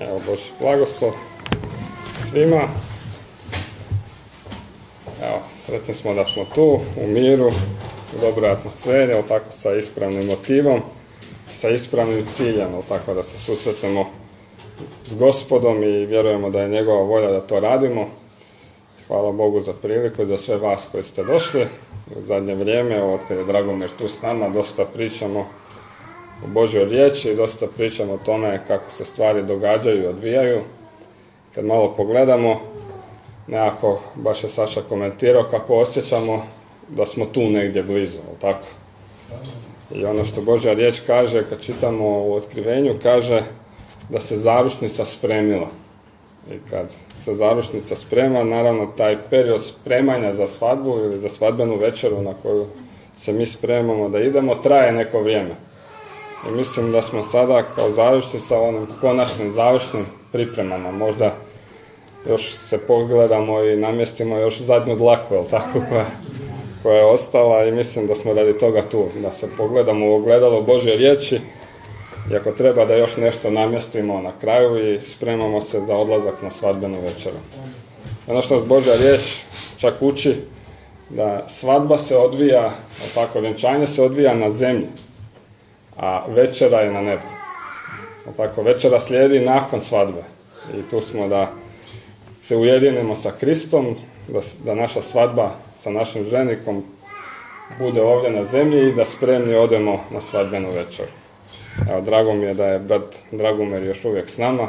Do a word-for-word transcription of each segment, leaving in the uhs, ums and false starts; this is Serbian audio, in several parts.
Evo, Božji blagoslov svima. Evo, sretni smo da smo tu, u miru, u dobroj atmosferi, ali tako sa ispravnim motivom, sa ispravnim ciljem, ali tako da se susretnemo s Gospodom i vjerujemo da je njegova volja da to radimo. Hvala Bogu za priliku i za sve vas koji ste došli. U zadnje vrijeme, od kada je Dragomir tu s nama, dosta pričamo o Božjoj riječi, dosta pričamo o tome kako se stvari događaju i odvijaju. Kad malo pogledamo, nekako, baš je Saša komentirao kako osjećamo da smo tu negdje blizu, ali tako? I ono što Božja riječ kaže, kad čitamo u Otkrivenju, kaže da se zaručnica spremila. I kad se zaručnica sprema, naravno taj period spremanja za svadbu ili za svadbenu večeru na koju se mi spremamo da idemo, traje neko vrijeme. I mislim da smo sada kao zaručnica u onim konačnim završnim pripremama. Možda još se pogledamo i namjestimo još zadnju dlaku, jel tako, koja, koja je ostala, i mislim da smo radi toga tu, da se pogledamo u ogledalo Božje riječi i ako treba da još nešto namjestimo na kraju i spremamo se za odlazak na svadbenu večeru. Ono što nas Božja riječ čak uči da svadba se odvija, jel tako, vjenčanje se odvija na zemlji, a večera je na nebu. Jel tako, večera slijedi nakon svadbe i tu smo da se ujedinimo sa Kristom, da, da naša svadba sa našim ženikom bude ovdje na zemlji i da spremni odemo na svadbenu večeru. Evo, drago mi je da je brat Dragomir još uvijek s nama.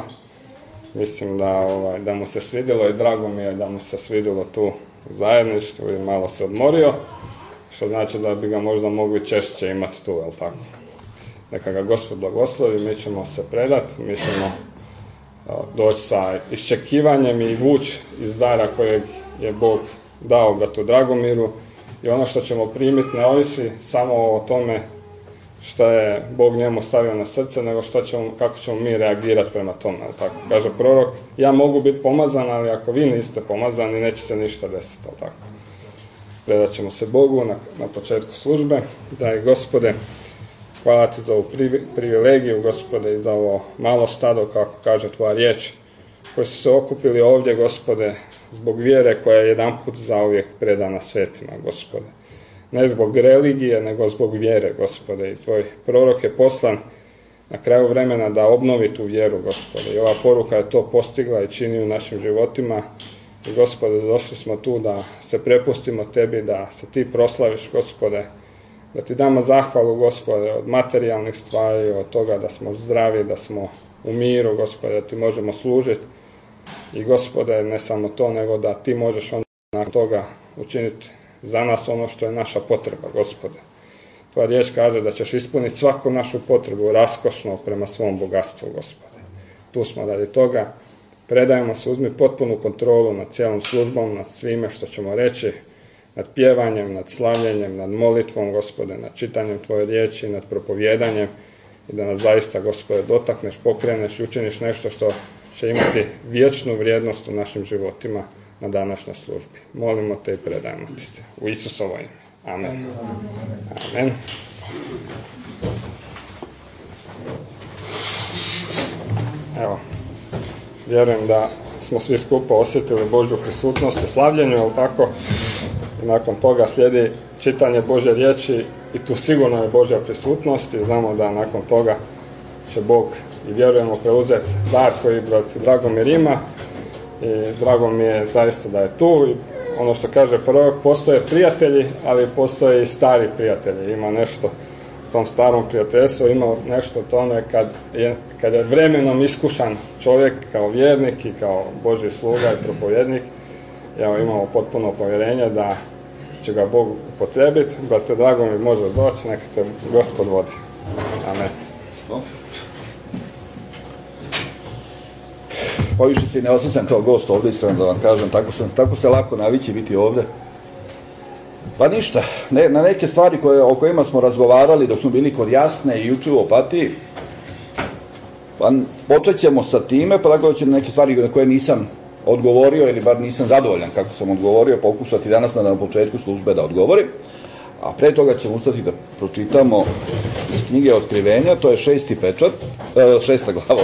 Mislim da, ovaj, da mu se svidjelo i drago mi je da mu se svidjelo tu u zajedništvu i malo se odmorio, što znači da bi ga možda mogli češće imati tu, jel tako? Neka ga Gospod blagoslovi, mi ćemo se predati, mi ćemo doći sa iščekivanjem i vući iz dara kojeg je Bog dao bratu Dragomiru, i ono što ćemo primiti ne ovisi samo o tome što je Bog njemu stavio na srce, nego što ćemo, kako ćemo mi reagirati prema tome. Tako kaže prorok, ja mogu biti pomazan, ali ako vi niste pomazani, neće se ništa desiti. Tako. Predat ćemo se Bogu na, na početku službe. Dragi Gospode, hvala ti za ovu privilegiju, Gospode, i za ovo malo stado, kako kaže tvoja riječ, koji su se okupili ovdje, Gospode, zbog vjere koja je jedanput zauvijek predana svetima, Gospode. Ne zbog religije, nego zbog vjere, Gospode. I tvoj prorok je poslan na kraju vremena da obnovi tu vjeru, Gospode. I ova poruka je to postigla i čini u našim životima. I, Gospode, došli smo tu da se prepustimo tebi, da se ti proslaviš, Gospode. Da ti damo zahvalu, Gospode, od materijalnih stvari, od toga da smo zdravi, da smo u miru, Gospode, da ti možemo služiti. I, Gospode, ne samo to, nego da ti možeš onda nakon toga učiniti za nas ono što je naša potreba, Gospode. Tvoja riječ kaže da ćeš ispuniti svaku našu potrebu raskošno prema svom bogatstvu, Gospode. Tu smo radi toga. Predajemo se, uzmi potpunu kontrolu nad cijelom službom, nad svime što ćemo reći, nad pjevanjem, nad slavljenjem, nad molitvom, Gospode, nad čitanjem tvoje riječi, nad propovjedanjem, i da nas zaista, Gospode, dotakneš, pokreneš i učiniš nešto što će imati vječnu vrijednost u našim životima na današnjoj službi. Molimo te i predajemo ti se. U Isusovo ime. Amen. Amen. Evo, vjerujem da smo svi skupa osjetili Božju prisutnost u slavljenju, ali tako? I nakon toga slijedi čitanje Božje riječi i tu sigurno je Božja prisutnost i znamo da nakon toga će Bog, i vjerujemo, preuzeti dar koji brat Dragomir ima. I drago mi je zaista da je tu. I ono što kaže prorok, postoje prijatelji, ali postoje i stari prijatelji. Ima nešto u tom starom prijateljstvu, ima nešto u tome kad je, kad je vremenom iskušan čovjek kao vjernik i kao Božji sluga i propovjednik. Evo, imamo potpuno povjerenje da će ga Bog upotrijebiti. Brate Dragomir, može doći, neka te Gospod vodi. Amen. Pa više se ne osjećam kao gost ovdje, iskreno da vam kažem, tako, sam, tako se lako navići biti ovdje. Pa ništa, ne, na neke stvari koje, o kojima smo razgovarali dok smo bili kod Jasne i juče u Opatiji, pa počet ćemo sa time, pa dakle će neke stvari na koje nisam odgovorio ili bar nisam zadovoljan kako sam odgovorio, pokušati danas na, na početku službe da odgovorim. A pre toga ćemo ustati da pročitamo iz knjige Otkrivenja, to je šesti pečat, e, šesta glava,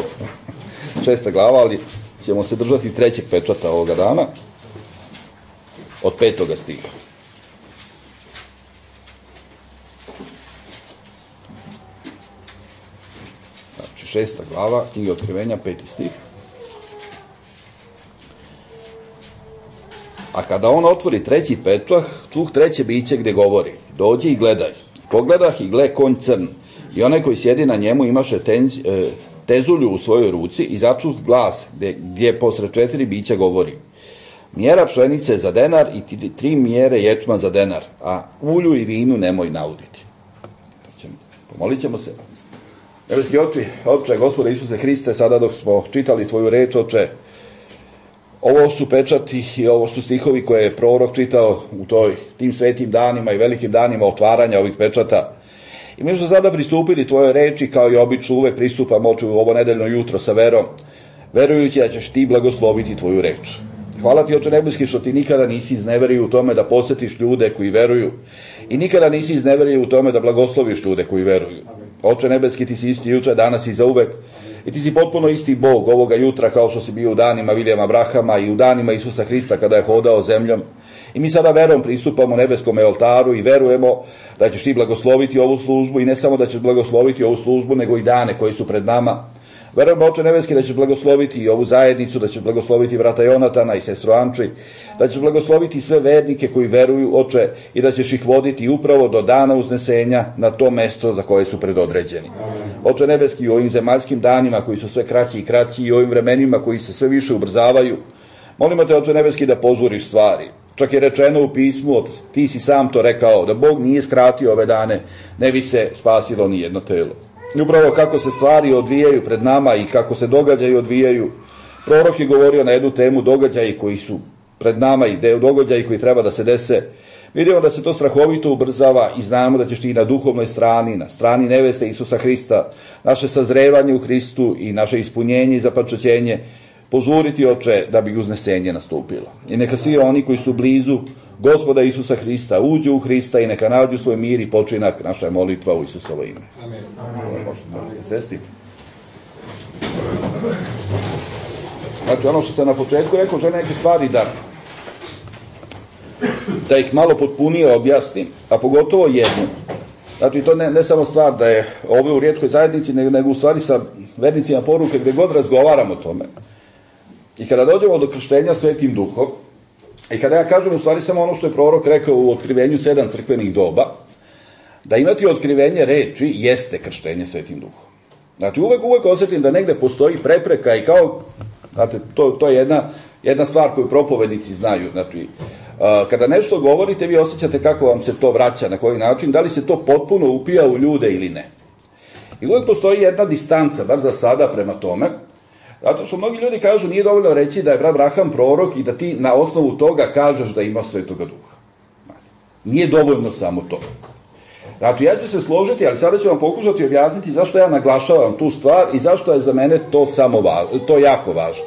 šesta glava, ali ćemo se držati trećeg pečata ovoga dana, od petoga stiha. Znači, šesta glava, knjiga Otkrivenja, peti stih. A kada on otvori treći pečah, čuh treće biće gde govori, dođi i gledaj. Pogledah i gle konj crn, i onaj koji sjedi na njemu imaše tenz, e, tezulju u svojoj ruci i začuh glas gde, gdje posred četiri bića govori. Mjera pšenice za denar i tri, tri mjere ječma za denar, a ulju i vinu nemoj nauditi. Pomolit ćemo se. Nebeski oči, Oče, Gospode Isuse Hriste, sada dok smo čitali tvoju reč, Oče, ovo su pečati i ovo su stihovi koje je prorok čitao u toj, tim svetim danima i velikim danima otvaranja ovih pečata. I mi smo sada pristupili tvojoj reči, kao i obično uvek pristupamo, Oče, u ovo nedeljno jutro sa verom, verujući da ćeš ti blagosloviti tvoju reč. Hvala ti, Oče nebeski, što ti nikada nisi izneverio u tome da posetiš ljude koji veruju i nikada nisi izneverio u tome da blagosloviš ljude koji veruju. Oče nebeski, ti si isti juče, danas i zauvek, i ti si potpuno isti Bog ovoga jutra kao što si bio u danima Vilijama Abrahama i u danima Isusa Hrista kada je hodao zemljom. I mi sada verom pristupamo nebeskom oltaru i verujemo da ćeš ti blagosloviti ovu službu i ne samo da ćeš blagosloviti ovu službu, nego i dane koji su pred nama. Verujemo, Oče nebeski, da ćeš blagosloviti i ovu zajednicu, da ćeš blagosloviti brata Jonatana i sestru Anči, da ćeš blagosloviti sve vernike koji veruju, Oče, i da ćeš ih voditi upravo do dana uznesenja na to mesto za koje su predodređeni. Oče nebeski, u ovim zemaljskim danima koji su sve kraći i kraći i ovim vremenima koji se sve više ubrzavaju, molimo te, Oče nebeski, da požuriš stvari. Čak je rečeno u pismu, ti si sam to rekao, da Bog nije skratio ove dane, ne bi se spasilo ni jedno telo. I upravo kako se stvari odvijaju pred nama i kako se događaji odvijaju, prorok je govorio na jednu temu događaji koji su pred nama i događaji koji treba da se dese. Vidimo da se to strahovito ubrzava i znamo da ćeš ti na duhovnoj strani, na strani neveste Isusa Hrista, naše sazrevanje u Hristu i naše ispunjenje i zapačaćenje požuriti, Oče, da bi uznesenje nastupilo. I neka svi oni koji su blizu Gospoda Isusa Hrista uđu u Hrista i neka nađu svoj mir i počinak. Naša je molitva u Isusovo ime. Amen. Možete sesti. Znači, ono što sam na početku rekao, želim neke stvari da da ih malo potpunije objasnim, a pogotovo jednu. Znači, to ne, ne samo stvar da je ovo u riječkoj zajednici, nego, nego u stvari sa vernicima poruke gde god razgovaramo o tome. I kada dođemo do krštenja Svetim Duhom, i kada ja kažem u stvari samo ono što je prorok rekao u otkrivenju sedam crkvenih doba, da imati otkrivenje reči jeste krštenje Svetim Duhom. Znači, uvek, uvek osjetim da negde postoji prepreka i kao, znate, to, to je jedna, jedna stvar koju propovednici znaju. Znači, a, kada nešto govorite, vi osjećate kako vam se to vraća, na koji način, da li se to potpuno upija u ljude ili ne. I uvek postoji jedna distanca, bar za sada, prema tome, zato što mnogi ljudi kažu nije dovoljno reći da je brat Abraham prorok i da ti na osnovu toga kažeš da ima Svetoga Duha. Nije dovoljno samo to. Znači, ja ću se složiti, ali sada ću vam pokušati objasniti zašto ja naglašavam tu stvar i zašto je za mene to samo važno, to jako važno.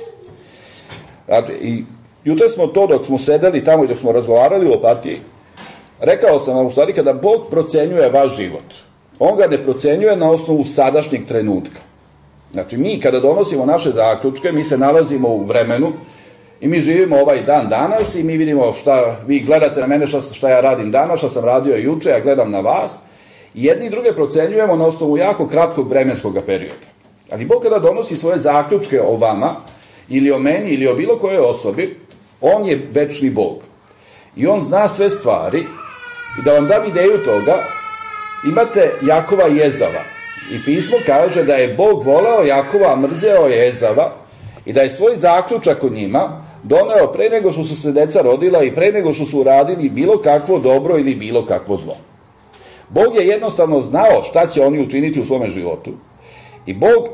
Znači, i juče smo to dok smo sedeli tamo i dok smo razgovarali o Opatiji, rekao sam vam u stvari kada Bog procenjuje vaš život, on ga ne procenjuje na osnovu sadašnjeg trenutka. Znači, mi kada donosimo naše zaključke, mi se nalazimo u vremenu i mi živimo ovaj dan danas i mi vidimo šta, vi gledate na mene šta, šta ja radim danas, šta sam radio juče, ja gledam na vas i jedni i druge procenjujemo na osnovu jako kratkog vremenskog perioda. Ali Bog kada donosi svoje zaključke o vama ili o meni ili o bilo kojoj osobi, on je večni Bog. I on zna sve stvari i da vam dam ideju toga, imate Jakova i Ezava. I pismo kaže da je Bog voleo Jakova, a mrzeo je Ezava i da je svoj zaključak o njima doneo pre nego što su se deca rodila i pre nego što su uradili bilo kakvo dobro ili bilo kakvo zlo. Bog je jednostavno znao šta će oni učiniti u svome životu i Bog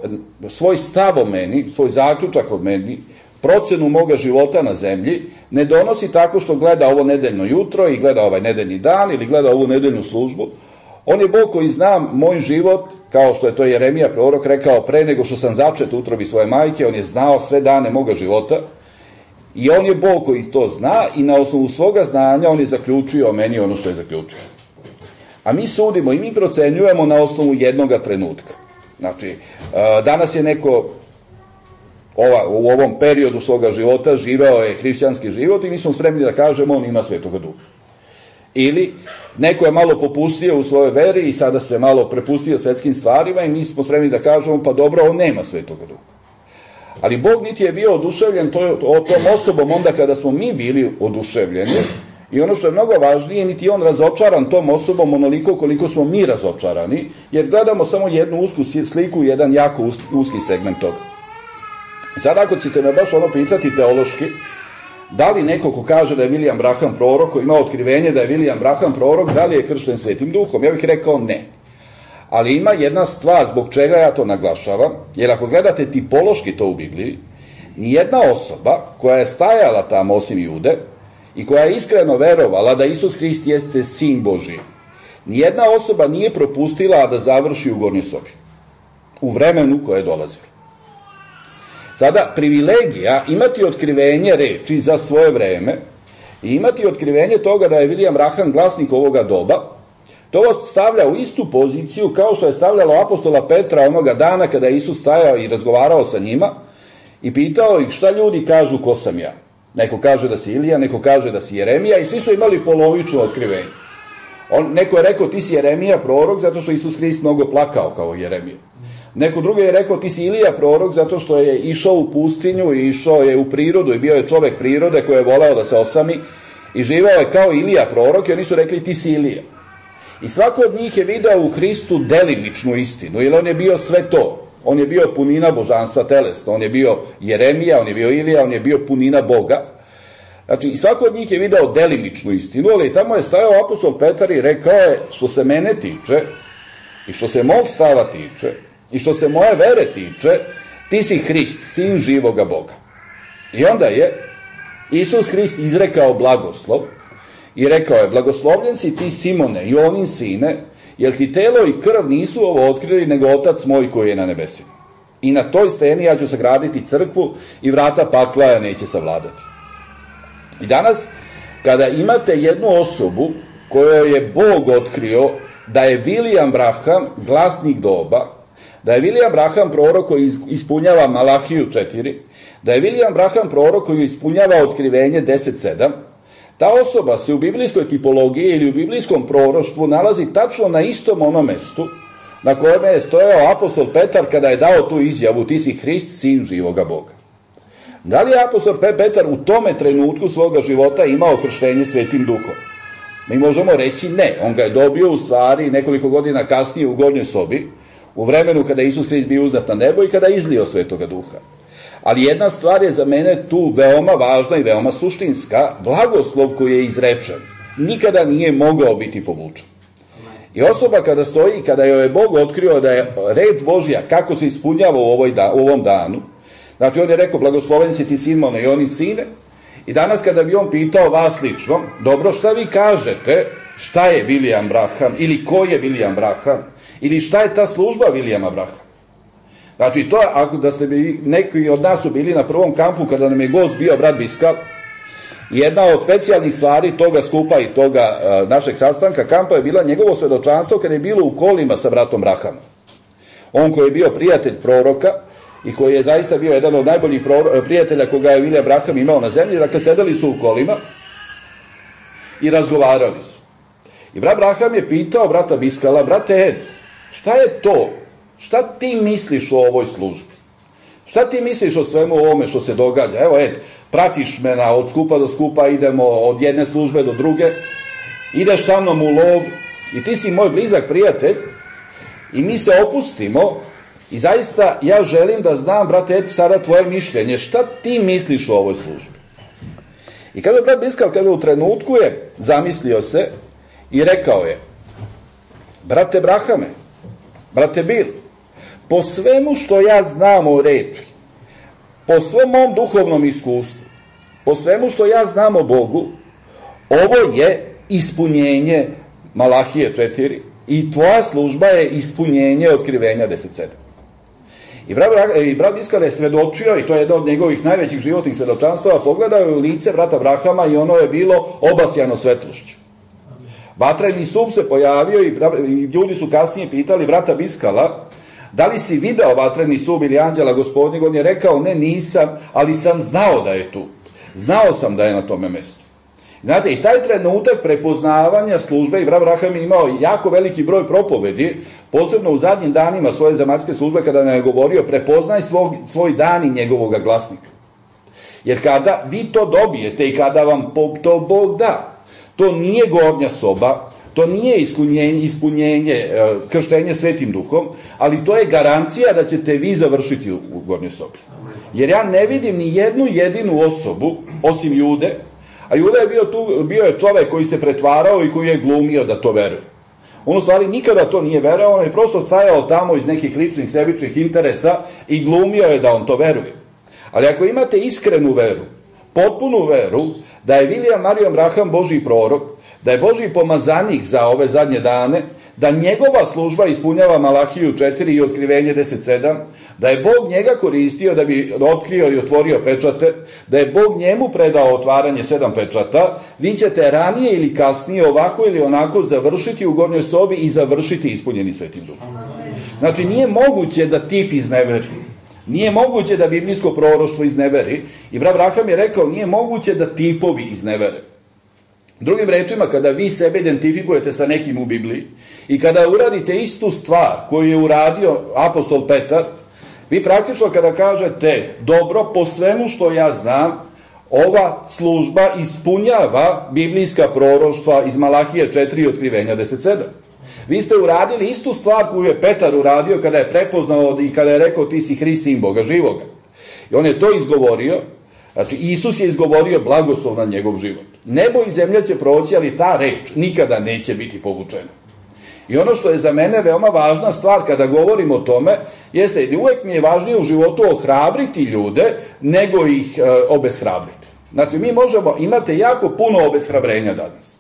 svoj stav o meni, svoj zaključak o meni, procenu moga života na zemlji ne donosi tako što gleda ovo nedeljno jutro i gleda ovaj nedeljni dan ili gleda ovu nedeljnu službu. On je Bog koji zna moj život, kao što je to Jeremija prorok rekao, pre nego što sam začet u utrobi svoje majke, on je znao sve dane moga života i on je Bog koji to zna i na osnovu svoga znanja on je zaključio o meni ono što je zaključio. A mi sudimo i mi procenjujemo na osnovu jednoga trenutka. Znači, danas je neko ova, u ovom periodu svoga života živeo je hrišćanski život i mi smo spremni da kažemo on ima Svetoga Duha. Ili neko je malo popustio u svojoj veri i sada se malo prepustio svetskim stvarima i mi smo spremni da kažemo pa dobro, on nema Svetoga Duha. Ali Bog niti je bio oduševljen to, o tom osobom onda kada smo mi bili oduševljeni i ono što je mnogo važnije, niti je on razočaran tom osobom onoliko koliko smo mi razočarani, jer gledamo samo jednu usku sliku, jedan jako uski segment toga. Sad ako ćete me baš ono pitati teološki, da li neko ko kaže da je William Branham prorok, ko ima otkrivenje da je William Branham prorok, da li je kršten Svetim Duhom? Ja bih rekao ne. Ali ima jedna stvar zbog čega ja to naglašavam, jer ako gledate tipološki to u Bibliji, nijedna osoba koja je stajala tamo osim Jude i koja je iskreno verovala da Isus Hrist jeste Sin Božji, nijedna osoba nije propustila da završi u gornjoj sobi, u vremenu koje je dolazilo. Sada, privilegija imati otkrivenje reči za svoje vreme i imati otkrivenje toga da je William Branham glasnik ovoga doba, to stavlja u istu poziciju kao što je stavljalo apostola Petra onoga dana kada je Isus stajao i razgovarao sa njima i pitao ih šta ljudi kažu ko sam ja. Neko kaže da si Ilija, neko kaže da si Jeremija i svi su imali polovično otkrivenje. On, neko je rekao ti si Jeremija prorok zato što Isus Hrist mnogo plakao kao Jeremija. Neko drugi je rekao ti si Ilija prorok zato što je išao u pustinju i išao je u prirodu i bio je čovek prirode koji je voleo da se osami i živao je kao Ilija prorok i oni su rekli ti si Ilija. I svako od njih je video u Hristu delimičnu istinu, jer on je bio sve to. On je bio punina božanstva telesno, on je bio Jeremija, on je bio Ilija, on je bio punina Boga. Znači, i svako od njih je video delimičnu istinu, ali tamo je stajao apostol Petar i rekao je, što se mene tiče, i što se mog stava tiče, i što se moje vere tiče, ti si Hrist, sin živoga Boga. I onda je Isus Hrist izrekao blagoslov i rekao je, blagoslovljen si ti Simone, Jonin sine, jer ti telo i krv nisu ovo otkrili, nego Otac moj koji je na nebesima. I na toj steni ja ću sagraditi crkvu i vrata pakla ja neće savladati. I danas, kada imate jednu osobu kojoj je Bog otkrio da je William Branham glasnik doba, da je William Branham prorok koji ispunjava Malahiju četiri, da je William Branham prorok koji ispunjava otkrivenje deset sedam, ta osoba se u biblijskoj tipologiji ili u biblijskom proroštvu nalazi tačno na istom onom mestu na kojem je stojao apostol Petar kada je dao tu izjavu ti si Hrist, sin živoga Boga. Da li je apostol Petar u tome trenutku svoga života imao krštenje Svetim Duhom? Mi možemo reći ne, on ga je dobio u stvari nekoliko godina kasnije u gornjoj sobi, u vremenu kada je Isus Hrist bio uznat na nebo i kada je izlio Svetoga Duha. Ali jedna stvar je za mene tu veoma važna i veoma suštinska, blagoslov koji je izrečen nikada nije mogao biti povučen. I osoba kada stoji, kada joj je Bog otkrio da je reč Božja kako se ispunjava u, ovoj da, u ovom danu, znači on je rekao blagosloven si ti Simone i oni sine, i danas kada bi on pitao vas lično, dobro šta vi kažete, šta je William Branham ili ko je William Branham ili šta je ta služba Williama Branhama. Znači, to, ako da ste bi, neki od nas su bili na prvom kampu kada nam je gost bio brat Biskal, jedna od specijalnih stvari toga skupa i toga uh, našeg sastanka kampa je bila njegovo svedočanstvo kada je bilo u kolima sa bratom Branhamom. On koji je bio prijatelj proroka i koji je zaista bio jedan od najboljih prijatelja koga je William Branham imao na zemlji, dakle sedeli su u kolima i razgovarali su. I brat Branham je pitao brata Biskala, brate Ed, šta je to? Šta ti misliš o ovoj službi? Šta ti misliš o svemu ovome što se događa? Evo, Ed, pratiš me na od skupa do skupa, idemo od jedne službe do druge, ideš sa mnom u lov i ti si moj blizak prijatelj i mi se opustimo i zaista ja želim da znam, brate Ed, sada tvoje mišljenje. Šta ti misliš o ovoj službi? I kada je brat Biskal, kada u trenutku je zamislio se i rekao je, brate Brahame, brate Bil, po svemu što ja znam o reči, po svom mom duhovnom iskustvu, po svemu što ja znam o Bogu, ovo je ispunjenje Malahije četiri i tvoja služba je ispunjenje otkrivenja deset sedam. I brat, i brat Biskal je svedočio, i to je jedno od njegovih najvećih životnih svedočanstava, pogledao je u lice brata Brahama i ono je bilo obasjano svetlošću. Vatreni stup se pojavio i, i ljudi su kasnije pitali brata Biskala Da li si video vatreni stup ili anđela Gospodnjeg? On je rekao, ne, nisam, ali sam znao da je tu. Znao sam da je na tome mjestu. Znate, i taj trenutak prepoznavanja službe, i brat Braham je imao jako veliki broj propovedi, posebno u zadnjim danima svoje zemaljske službe, kada nam je govorio, prepoznaj svog, svoj dan i njegovoga glasnika. Jer kada vi to dobijete i kada vam to Bog da, to nije gornja soba, to nije ispunjenje, ispunjenje krštenje Svetim Duhom, ali to je garancija da ćete vi završiti u, u gornjoj sobi. Jer ja ne vidim ni jednu jedinu osobu, osim Jude, a Juda je bio tu, bio je čovek koji se pretvarao i koji je glumio da to veruje. On u stvari nikada to nije verao, on je prosto stajao tamo iz nekih ličnih sebičnih interesa i glumio je da on to veruje. Ali ako imate iskrenu veru, potpunu veru, da je William Marion Branham Božji prorok, da je Božji pomazanik za ove zadnje dane, da njegova služba ispunjava Malahiju četiri i Otkrivenje deset sedam, da je Bog njega koristio da bi otkrio i otvorio pečate, da je Bog njemu predao otvaranje sedam pečata, vi ćete ranije ili kasnije ovako ili onako završiti u gornjoj sobi i završiti ispunjeni Svetim Duhom. Znači, nije moguće da tip izneveri. Nije moguće da biblijsko proroštvo izneveri. I brat Braham je rekao, nije moguće da tipovi iznevere. Drugim rečima, kada vi sebe identifikujete sa nekim u Bibliji i kada uradite istu stvar koju je uradio apostol Petar, vi praktično kada kažete, dobro, po svemu što ja znam, ova služba ispunjava biblijska proroštva iz Malahije četiri i Otkrivenja deset sedam. Vi ste uradili istu stvar koju je Petar uradio kada je prepoznao i kada je rekao, ti si Hrist, sin Boga živoga. I on je to izgovorio. Znači, Isus je izgovorio blagoslov na njegov život. Nebo i zemlja će proći, ali ta reč nikada neće biti povučena. I ono što je za mene veoma važna stvar kada govorim o tome, jeste da uvek mi je važnije u životu ohrabriti ljude, nego ih e, obeshrabriti. Znači, mi možemo, imate jako puno obeshrabrenja danas.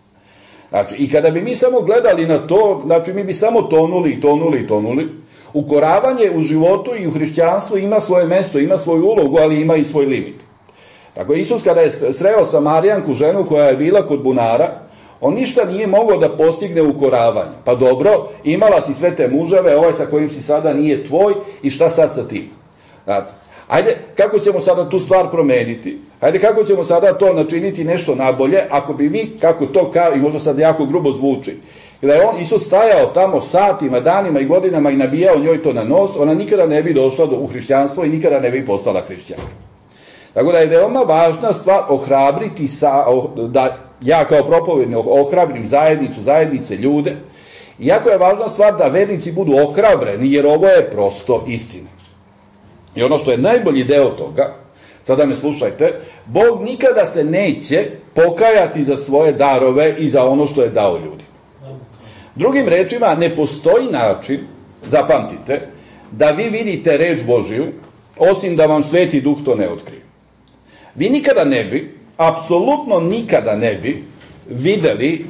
Znači, i kada bi mi samo gledali na to, znači, mi bi samo tonuli i tonuli i tonuli. Ukoravanje u životu i u hrišćanstvu ima svoje mesto, ima svoju ulogu, ali ima i svoj limit. Tako Isus kada je sreo Samarijanku, ženu koja je bila kod bunara, on ništa nije mogao da postigne ukoravanje. Pa dobro, imala si sve te muževe, ovaj sa kojim si sada nije tvoj i šta sad sa tim? Znate, ajde, kako ćemo sada tu stvar promeniti? Ajde, kako ćemo sada to načiniti nešto nabolje, ako bi vi, kako to kao, i možda sad jako grubo zvuči, kada je on, Isus stajao tamo satima, danima i godinama i nabijao njoj to na nos, ona nikada ne bi došla do, u hrišćanstvo i nikada ne bi postala hrišćanka. Tako da je veoma važna stvar ohrabriti, sa, da ja kao propovednik ohrabrim zajednicu, zajednice, ljude. I jako je važna stvar da vernici budu ohrabreni, jer ovo je prosto istina. I ono što je najbolji deo toga, sada me slušajte, Bog nikada se neće pokajati za svoje darove i za ono što je dao ljudi. Drugim rečima, ne postoji način, zapamtite, da vi vidite reč Božiju, osim da vam Sveti Duh to ne otkrije. Vi nikada ne bi, apsolutno nikada ne bi videli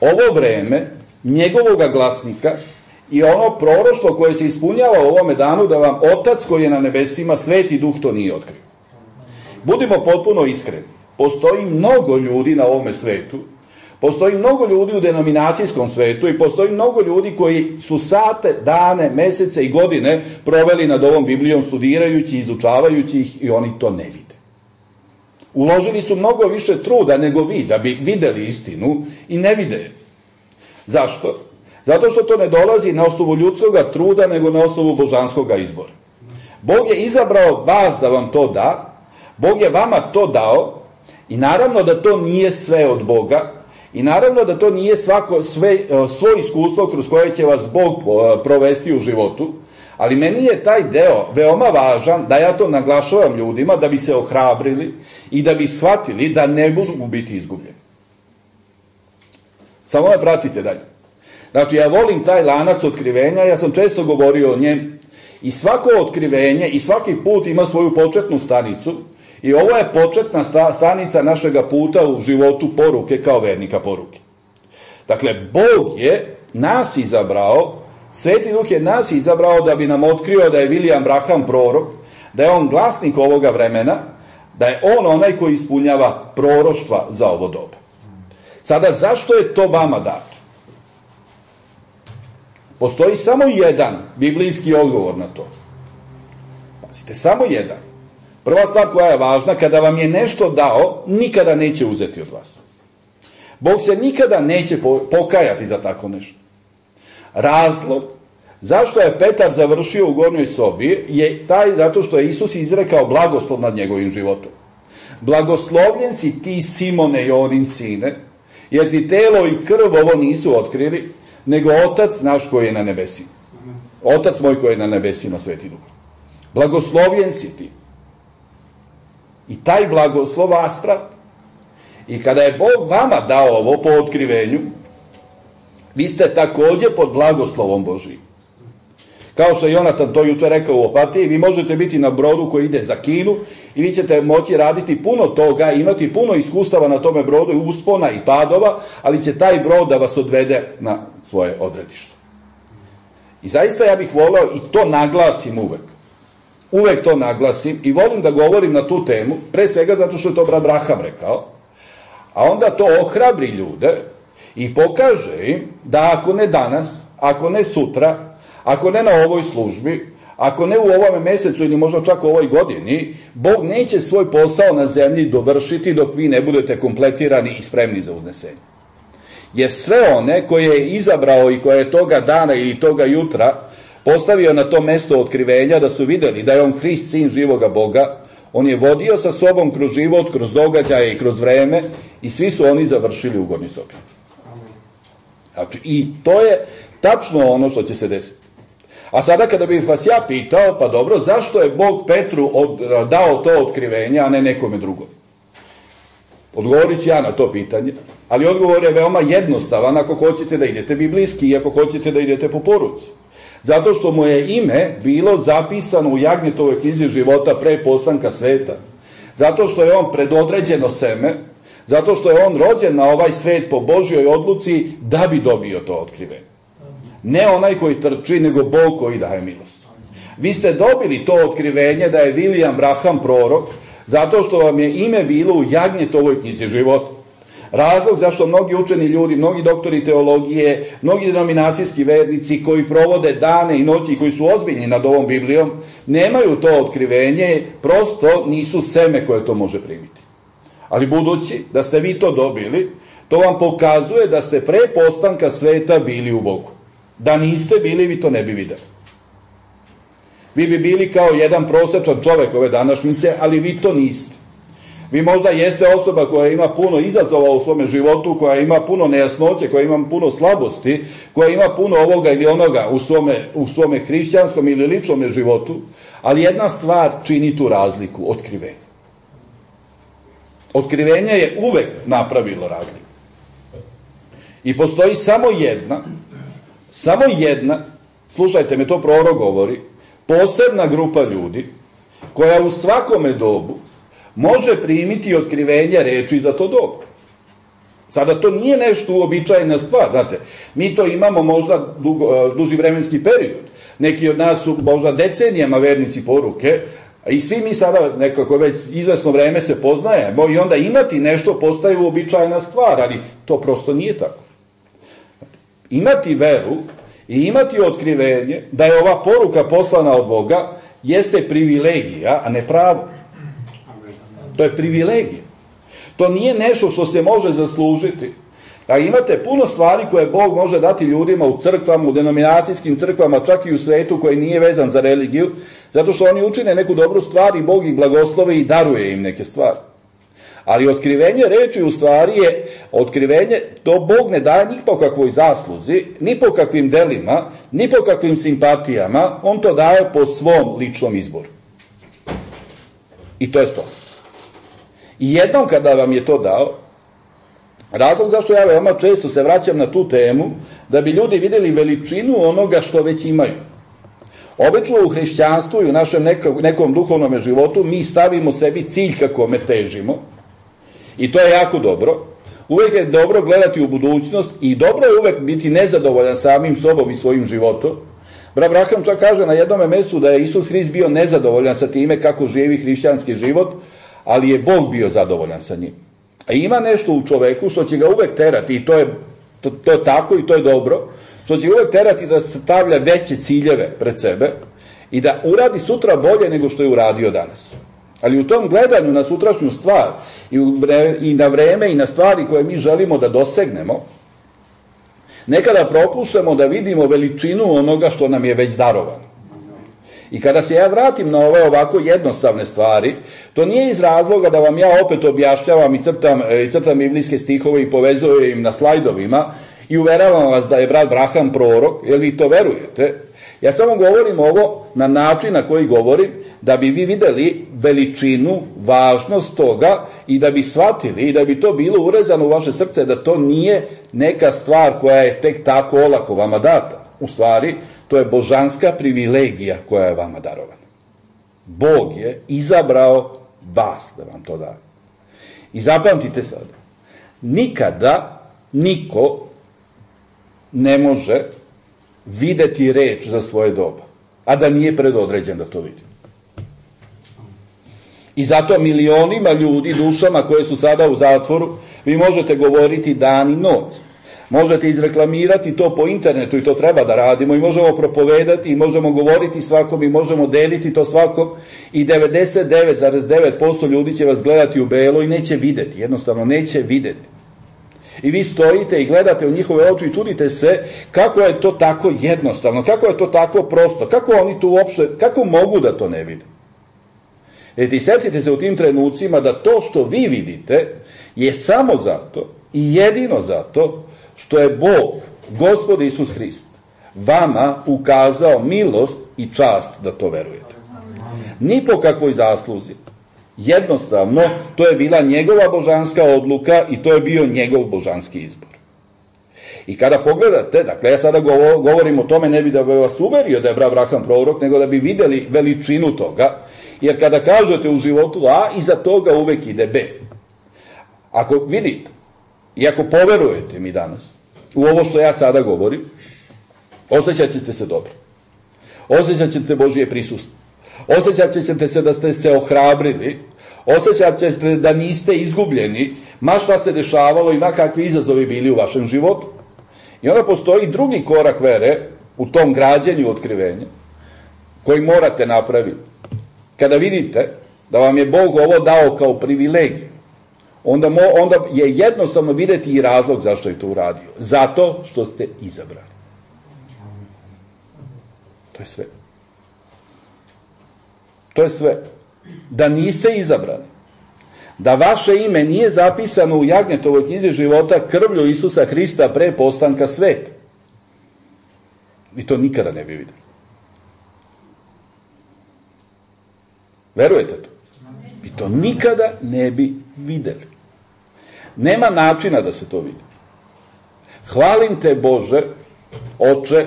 ovo vreme njegovoga glasnika i ono proroštvo koje se ispunjava u ovome danu da vam Otac koji je na nebesima, Sveti Duh to nije otkrio. Budimo potpuno iskreni. Postoji mnogo ljudi na ovome svetu, postoji mnogo ljudi u denominacijskom svetu i postoji mnogo ljudi koji su sate, dane, mesece i godine proveli nad ovom Biblijom studirajući, izučavajući ih i oni to ne vide. Uložili su mnogo više truda nego vi da bi videli istinu i ne vide je. Zašto? Zato što to ne dolazi na osnovu ljudskog truda nego na osnovu božanskog izbora. Bog je izabrao vas da vam to da, Bog je vama to dao i naravno da to nije sve od Boga i naravno da to nije svako, sve, svoje iskustvo kroz koje će vas Bog provesti u životu, ali meni je taj deo veoma važan da ja to naglašavam ljudima da bi se ohrabrili i da bi shvatili da ne budu biti izgubljeni. Samo me pratite dalje. Znači, ja volim taj lanac otkrivenja, ja sam često govorio o njem i svako otkrivenje i svaki put ima svoju početnu stanicu i ovo je početna stanica našega puta u životu poruke kao vernika poruke. Dakle, Bog je nas izabrao, Sveti Duh je nas izabrao da bi nam otkrio da je William Branham prorok, da je on glasnik ovoga vremena, da je on onaj koji ispunjava proroštva za ovo doba. Sada, zašto je to vama dato? Postoji samo jedan biblijski odgovor na to. Pazite, samo jedan. Prva stvar koja je važna, kada vam je nešto dao, nikada neće uzeti od vas. Bog se nikada neće pokajati za tako nešto. Razlog zašto je Petar završio u gornjoj sobi je taj zato što je Isus izrekao blagoslov nad njegovim životom. Blagoslovljen si ti, Simone, Jonin sine, jer ti telo i krv ovo nisu otkrili, nego Otac naš koji je na nebesima. Otac moj koji je na nebesima, Sveti Duh. Blagoslovljen si ti. I taj blagoslov vas prati. I kada je Bog vama dao ovo po otkrivenju, vi ste također pod blagoslovom Božijim. Kao što je Jonatan to jučer rekao u Opatiji, vi možete biti na brodu koji ide za Kinu i vi ćete moći raditi puno toga, imati puno iskustava na tome brodu, uspona i padova, ali će taj brod da vas odvede na svoje odredište. I zaista ja bih voleo i to naglasim uvek. Uvek to naglasim i volim da govorim na tu temu, pre svega zato što je to brat Braham rekao, a onda to ohrabri ljude i pokaže im da ako ne danas, ako ne sutra, ako ne na ovoj službi, ako ne u ovome mesecu ili možda čak u ovoj godini, Bog neće svoj posao na zemlji dovršiti dok vi ne budete kompletirani i spremni za uznesenje. Jer sve one koje je izabrao i koje je toga dana ili toga jutra postavio na to mesto otkrivenja da su vidjeli da je on Hrist, sin živoga Boga, on je vodio sa sobom kroz život, kroz događaje i kroz vreme i svi su oni završili u gornjoj sobi. Znači, i to je tačno ono što će se desiti. A sada kada bih vas ja pitao, pa dobro, zašto je Bog Petru od, dao to otkrivenje, a ne nekome drugom? Odgovorit ću ja na to pitanje, ali odgovor je veoma jednostavan ako hoćete da idete biblijski i ako hoćete da idete po poruci. Zato što mu je ime bilo zapisano u Jagnjetovoj knjizi života pre postanka sveta. Zato što je on predodređeno seme, zato što je on rođen na ovaj svet po Božjoj odluci da bi dobio to otkrivenje. Ne onaj koji trči, nego Bog koji daje milost. Vi ste dobili to otkrivenje da je William Branham prorok, zato što vam je ime bilo u Jagnjetovoj knjizi života. Razlog zašto mnogi učeni ljudi, mnogi doktori teologije, mnogi denominacijski vernici koji provode dane i noći, koji su ozbiljni nad ovom Biblijom, nemaju to otkrivenje, prosto nisu seme koje to može primiti. Ali budući da ste vi to dobili, to vam pokazuje da ste pre postanka sveta bili u Bogu. Da niste bili, vi to ne bi videli. Vi bi bili kao jedan prosječan čovjek ove današnjice, ali vi to niste. Vi možda jeste osoba koja ima puno izazova u svome životu, koja ima puno nejasnoće, koja ima puno slabosti, koja ima puno ovoga ili onoga u svome, u svome hrišćanskom ili ličnom životu, ali jedna stvar čini tu razliku, otkrivenje. Otkrivenje je uvek napravilo razliku. I postoji samo jedna, samo jedna, slušajte me, to prorok govori, posebna grupa ljudi koja u svakome dobu može primiti otkrivenje reči za to dobu. Sada to nije nešto uobičajena stvar, znate, mi to imamo možda dugo, duži vremenski period. Neki od nas su možda decenijama vernici poruke, i svi mi sada nekako već izvesno vreme se poznajemo i onda imati nešto postaje uobičajena stvar, ali to prosto nije tako. Imati veru i imati otkrivenje da je ova poruka poslana od Boga jeste privilegija, a ne pravo. To je privilegija. To nije nešto što se može zaslužiti. A imate puno stvari koje Bog može dati ljudima u crkvama, u denominacijskim crkvama, čak i u svetu koji nije vezan za religiju, zato što oni učine neku dobru stvar i Bog ih blagoslovi i daruje im neke stvari. Ali otkrivenje reči u stvari je otkrivenje, to Bog ne daje ni po kakvoj zasluzi, ni po kakvim delima, ni po kakvim simpatijama, on to daje po svom ličnom izboru. I to je to. I jednom kada vam je to dao, razlog zašto ja veoma često se vraćam na tu temu, da bi ljudi vidjeli veličinu onoga što već imaju. Obično u hrišćanstvu i u našem nekom, nekom duhovnom životu mi stavimo sebi cilj kako me težimo i to je jako dobro. Uvijek je dobro gledati u budućnost i dobro je uvijek biti nezadovoljan samim sobom i svojim životom. Brat Braham čak kaže na jednom mjestu da je Isus Hrist bio nezadovoljan sa time kako živi hrišćanski život, ali je Bog bio zadovoljan sa njim. A ima nešto u čoveku što će ga uvek terati i to je, to, to je tako i to je dobro. što će uvek terati da stavlja veće ciljeve pred sebe i da uradi sutra bolje nego što je uradio danas. Ali u tom gledanju na sutrašnju stvar i, u vre, i na vreme i na stvari koje mi želimo da dosegnemo, nekada propuštamo da vidimo veličinu onoga što nam je već darovano. I kada se ja vratim na ove ovako jednostavne stvari, to nije iz razloga da vam ja opet objašnjavam i crtam, i crtam biblijske stihove i povezujem im na slajdovima i uveravam vas da je brat Braham prorok, jer vi to verujete. Ja samo govorim ovo na način na koji govorim, da bi vi videli veličinu, važnost toga i da bi shvatili i da bi to bilo urezano u vaše srce, da to nije neka stvar koja je tek tako olako vama data. U stvari, to je božanska privilegija koja je vama darovana. Bog je izabrao vas da vam to da. I zapamtite sada, nikada niko ne može videti reč za svoje doba, a da nije predodređen da to vidi. I zato milionima ljudi, dušama koje su sada u zatvoru, vi možete govoriti dan i noć. Možete izreklamirati to po internetu i to treba da radimo i možemo propovedati i možemo govoriti svakom i možemo deliti to svakom i devedeset devet zarez devet posto ljudi će vas gledati u belo i neće videti, jednostavno neće videti. I vi stojite i gledate u njihove oči i čudite se kako je to tako jednostavno, kako je to tako prosto, kako oni tu uopšte, kako mogu da to ne vide. Jer i setite se u tim trenucima da to što vi vidite je samo zato i jedino zato što je Bog, Gospod Isus Hrist, vama ukazao milost i čast da to verujete. Ni po kakvoj zasluzi. Jednostavno, to je bila njegova božanska odluka i to je bio njegov božanski izbor. I kada pogledate, dakle ja sada govorim o tome ne bi da bi vas uverio da je brat Braham prorok, nego da bi videli veličinu toga, jer kada kažete u životu A, iza toga uvek ide B. Ako vidite, i ako poverujete mi danas u ovo što ja sada govorim, osjećat ćete se dobro. Osjećat ćete Božije prisustvo. Osjećat ćete se da ste se ohrabrili. Osjećat ćete da niste izgubljeni, ma šta se dešavalo i ma kakvi izazovi bili u vašem životu. I onda postoji drugi korak vere u tom građenju otkrivenja koji morate napraviti. Kada vidite da vam je Bog ovo dao kao privilegiju, Onda, mo, onda je jednostavno videti i razlog zašto je to uradio. Zato što ste izabrani. To je sve. To je sve. Da niste izabrani, da vaše ime nije zapisano u Jagnjetovoj knjizi života krvlju Isusa Hrista pre postanka sveta, vi to nikada ne bi videli. Verujete to? Vi to nikada ne bi videli. Nema načina da se to vidi. Hvalim te, Bože, Oče,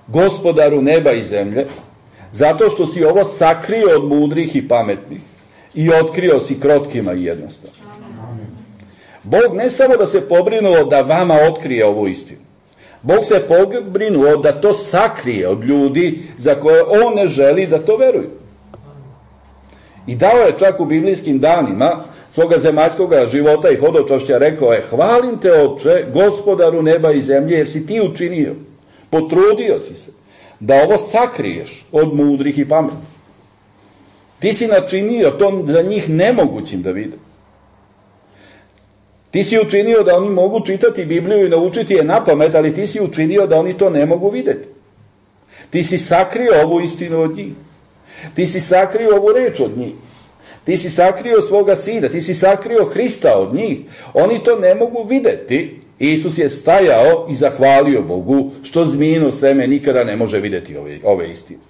Gospodaru neba i zemlje, zato što si ovo sakrio od mudrih i pametnih i otkrio si krotkima i jednostavno. Bog ne samo da se pobrinuo da vama otkrije ovu istinu, Bog se pobrinuo da to sakrije od ljudi za koje on ne želi da to veruju. I dao je čak u biblijskim danima svoga zemaljskog života i hodočašća, rekao je: hvalim te, Oče, Gospodaru neba i zemlje, jer si ti učinio, potrudio si se da ovo sakriješ od mudrih i pametnih. Ti si načinio to za njih nemogućim da vide. Ti si učinio da oni mogu čitati Bibliju i naučiti je na pamet, ali ti si učinio da oni to ne mogu videti. Ti si sakrio ovu istinu od njih. Ti si sakrio ovu reč od njih. Ti si sakrio svoga sina, ti si sakrio Hrista od njih. Oni to ne mogu videti. Isus je stajao i zahvalio Bogu što zmijino seme nikada ne može videti ove, ove istine.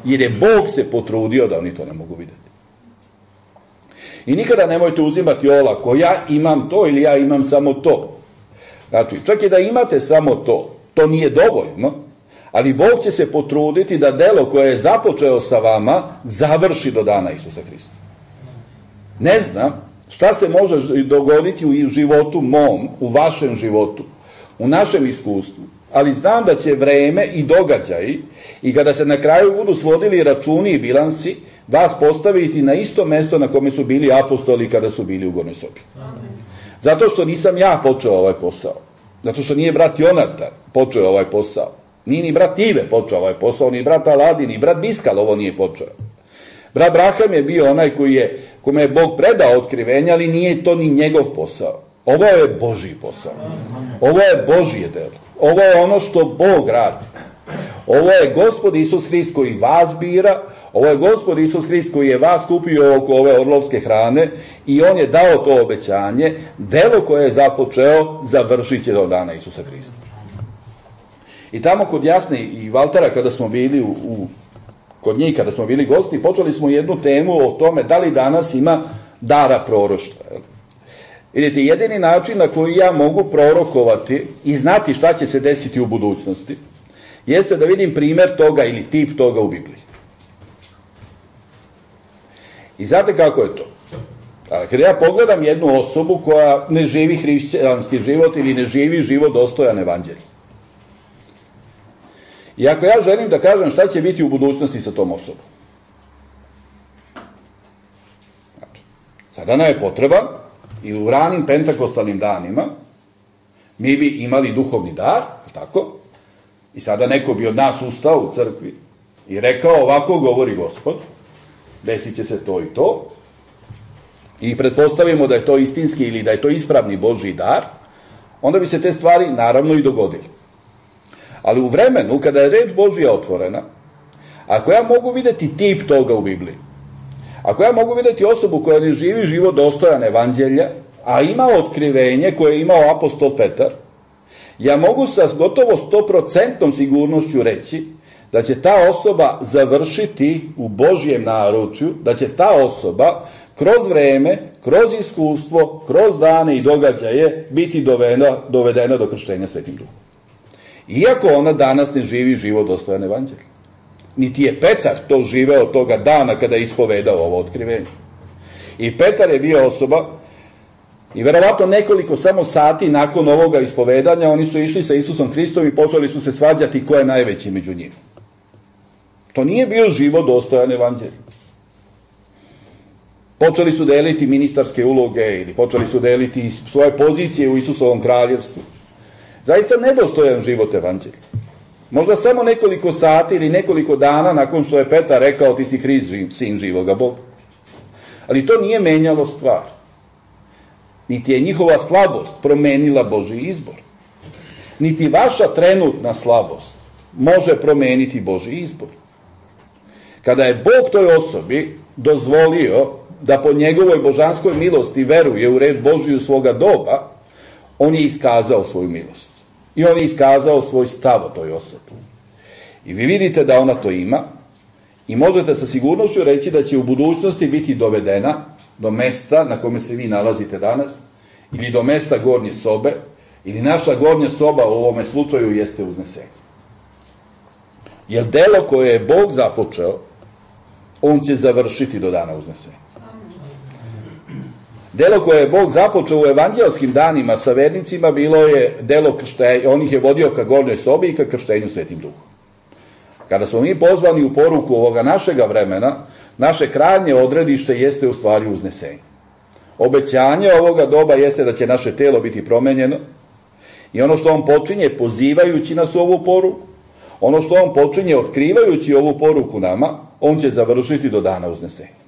Jer je Bog se potrudio da oni to ne mogu videti. I nikada nemojte uzimati olako, ja imam to ili ja imam samo to. Znači, čak i da imate samo to, to nije dovoljno, ali Bog će se potruditi da delo koje je započeo sa vama završi do dana Isusa Hrista. Ne znam šta se može dogoditi u životu mom, u vašem životu, u našem iskustvu, ali znam da će vreme i događaji i kada se na kraju budu svodili računi i bilansi, vas postaviti na isto mesto na kome su bili apostoli kada su bili u gornjoj sobi. Zato što nisam ja počeo ovaj posao. Zato što nije brat Jonatan počeo ovaj posao. Nije ni brat Ive počeo ovaj posao, ni brat Aladin, ni brat Biskal ovo nije počeo. Brat Braham je bio onaj koji je, kome je Bog predao otkrivenja, ali nije to ni njegov posao. Ovo je Božji posao. Ovo je Božje delo. Ovo je ono što Bog radi. Ovo je Gospod Isus Hrist koji vas bira, ovo je Gospod Isus Hrist koji je vas kupio oko ove orlovske hrane i on je dao to obećanje, delo koje je započeo završit će do dana Isusa Hrista. I tamo kod Jasne i Valtera kada smo bili u, u, kod njih, kada smo bili gosti, počeli smo jednu temu o tome da li danas ima dara proroštva. Vidite, jedini način na koji ja mogu prorokovati i znati šta će se desiti u budućnosti jeste da vidim primer toga ili tip toga u Bibliji. I znate kako je to? Kada ja pogledam jednu osobu koja ne živi hrišćanski život ili ne živi život dostojan evanđelja. I ako ja želim da kažem šta će biti u budućnosti sa tom osobom. Znači, sada nam je potreban, ili u ranim pentakostalnim danima, mi bi imali duhovni dar, tako? I sada neko bi od nas ustao u crkvi i rekao, ovako govori Gospod, desit će se to i to, i pretpostavimo da je to istinski ili da je to ispravni Božji dar, onda bi se te stvari naravno i dogodili. Ali u vremenu kada je reč Božja otvorena, ako ja mogu videti tip toga u Bibliji, ako ja mogu videti osobu koja ne živi život dostojan evanđelja, a ima otkrivenje koje je imao apostol Petar, ja mogu sa gotovo sto procentnom sigurnošću reći da će ta osoba završiti u Božjem naručju, da će ta osoba kroz vreme, kroz iskustvo, kroz dane i događaje biti dovedena, dovedena do krštenja Svetim Duhom. Iako ona danas ne živi život dostojan evanđelja. Niti je Petar to živeo toga dana kada je ispovedao ovo otkrivenje. I Petar je bio osoba, i verovatno nekoliko samo sati nakon ovoga ispovedanja oni su išli sa Isusom Hristom i počeli su se svađati ko je najveći među njima. To nije bio život dostojan evanđelja. Počeli su deliti ministarske uloge ili počeli su deliti svoje pozicije u Isusovom kraljevstvu. Zaista nedostojan život evanđelja. Možda samo nekoliko sati ili nekoliko dana nakon što je Petar rekao ti si Hrist, sin živoga Boga. Ali to nije menjalo stvar. Niti je njihova slabost promenila Božji izbor. Niti vaša trenutna slabost može promeniti Božji izbor. Kada je Bog toj osobi dozvolio da po njegovoj božanskoj milosti veruje u reč Božiju svoga doba, on je iskazao svoju milost. I on je iskazao svoj stav o toj osobi. I vi vidite da ona to ima i možete sa sigurnošću reći da će u budućnosti biti dovedena do mesta na kome se vi nalazite danas, ili do mesta gornje sobe, ili naša gornja soba u ovome slučaju jeste uznesenje. Jer delo koje je Bog započeo, on će završiti do dana uznesenja. Delo koje je Bog započeo u evanđelskim danima sa vernicima bilo je delo krštenja, on ih je vodio ka gornjoj sobi i ka krštenju Svetim Duhom. Kada smo mi pozvani u poruku ovoga našega vremena, naše krajnje odredište jeste u stvari uznesenje. Obećanje ovoga doba jeste da će naše telo biti promenjeno i ono što on počinje pozivajući nas u ovu poruku, ono što on počinje otkrivajući ovu poruku nama, on će završiti do dana uznesenja.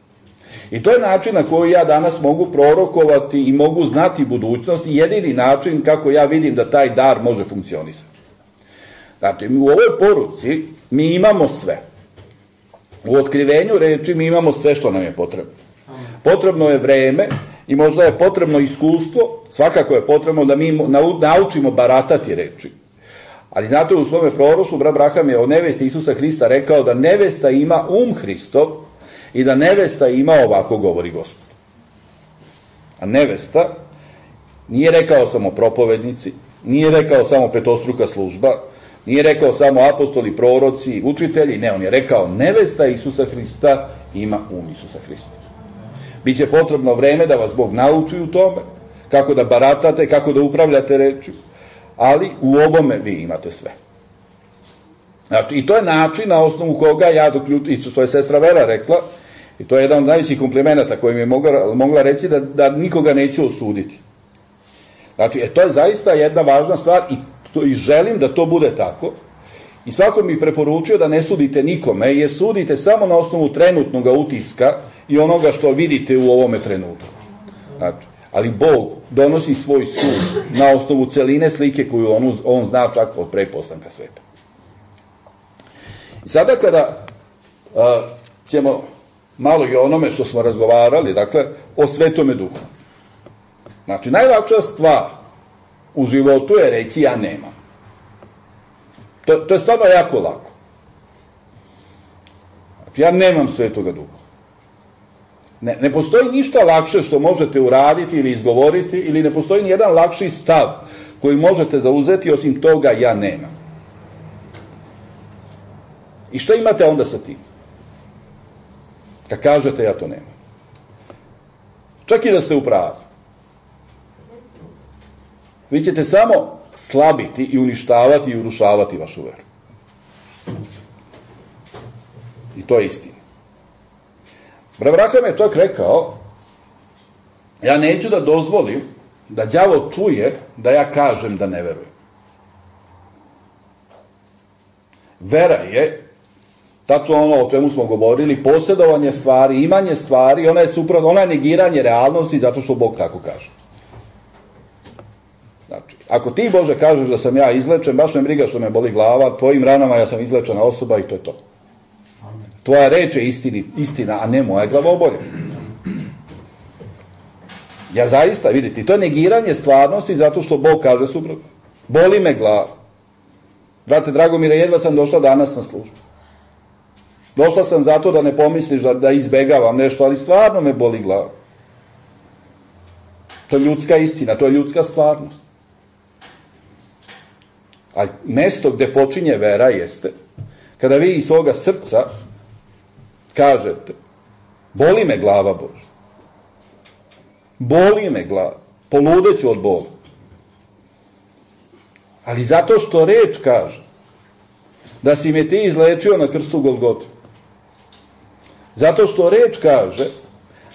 I to je način na koji ja danas mogu prorokovati i mogu znati budućnost i jedini način kako ja vidim da taj dar može funkcionisati. Znači, u ovoj poruci mi imamo sve. U otkrivenju reči mi imamo sve što nam je potrebno. Potrebno je vreme i možda je potrebno iskustvo, svakako je potrebno da mi naučimo baratati reči. Ali znate, u svome proroštvu brat Braham je o nevesti Isusa Hrista rekao da nevesta ima um Hristov i da nevesta ima ovako govori Gospod. A nevesta nije rekao samo propovednici, nije rekao samo petostruka služba, nije rekao samo apostoli, proroci, učitelji, ne, on je rekao nevesta Isusa Hrista ima um Isusa Hrista. Biće potrebno vreme da vas Bog nauči u tome, kako da baratate, kako da upravljate reči, ali u ovome vi imate sve. Znači, i to je način na osnovu koga ja doključim, i što je sestra Vera rekla, i to je jedan od najvećih komplimenata kojim je mogla, mogla reći da, da nikoga neću osuditi. Znači, e, to je zaista jedna važna stvar i, to, i želim da to bude tako. I svako mi preporučio da ne sudite nikome, jer sudite samo na osnovu trenutnog utiska i onoga što vidite u ovome trenutku. Znači, ali Bog donosi svoj sud na osnovu celine slike koju on, on zna čak od pre postanka sveta. I sada kada uh, ćemo malo i onome što smo razgovarali, dakle, o Svetome Duhu. Znači, najlakša stvar u životu je reći ja nemam. To, to je stvarno jako lako. Znači, ja nemam Svetoga Duha. Ne, ne postoji ništa lakše što možete uraditi ili izgovoriti, ili ne postoji nijedan lakši stav koji možete zauzeti osim toga ja nemam. I šta imate onda sa tim? Kad kažete ja to nemam. Čak i da ste u pravu. Vi ćete samo slabiti i uništavati i urušavati vašu veru. I to je istina. Abraham je čak rekao, ja neću da dozvolim da đavo čuje da ja kažem da ne verujem. Vera je, tačno ono o čemu smo govorili, posjedovanje stvari, imanje stvari, ona je suprotno, ona je negiranje realnosti zato što Bog tako kaže. Znači, ako ti, Bože, kažeš da sam ja izlečen, baš me briga što me boli glava, tvojim ranama ja sam izlečena osoba i to je to. Tvoja reč je istini, istina, a ne moja glavobolja. Ja zaista, vidite, to je negiranje stvarnosti zato što Bog kaže suprotno. Boli me glava. Brate Dragomire, jedva sam došla danas na službu. Došla sam zato da ne pomisliš da, da izbegavam nešto, ali stvarno me boli glava. To je ljudska istina, to je ljudska stvarnost. A mesto gde počinje vera jeste kada vi iz svoga srca kažete boli me glava, Bože. Boli me glava. Poludeću od bola. Ali zato što reč kaže da si me ti izlečio na krstu Golgote. Zato što reč kaže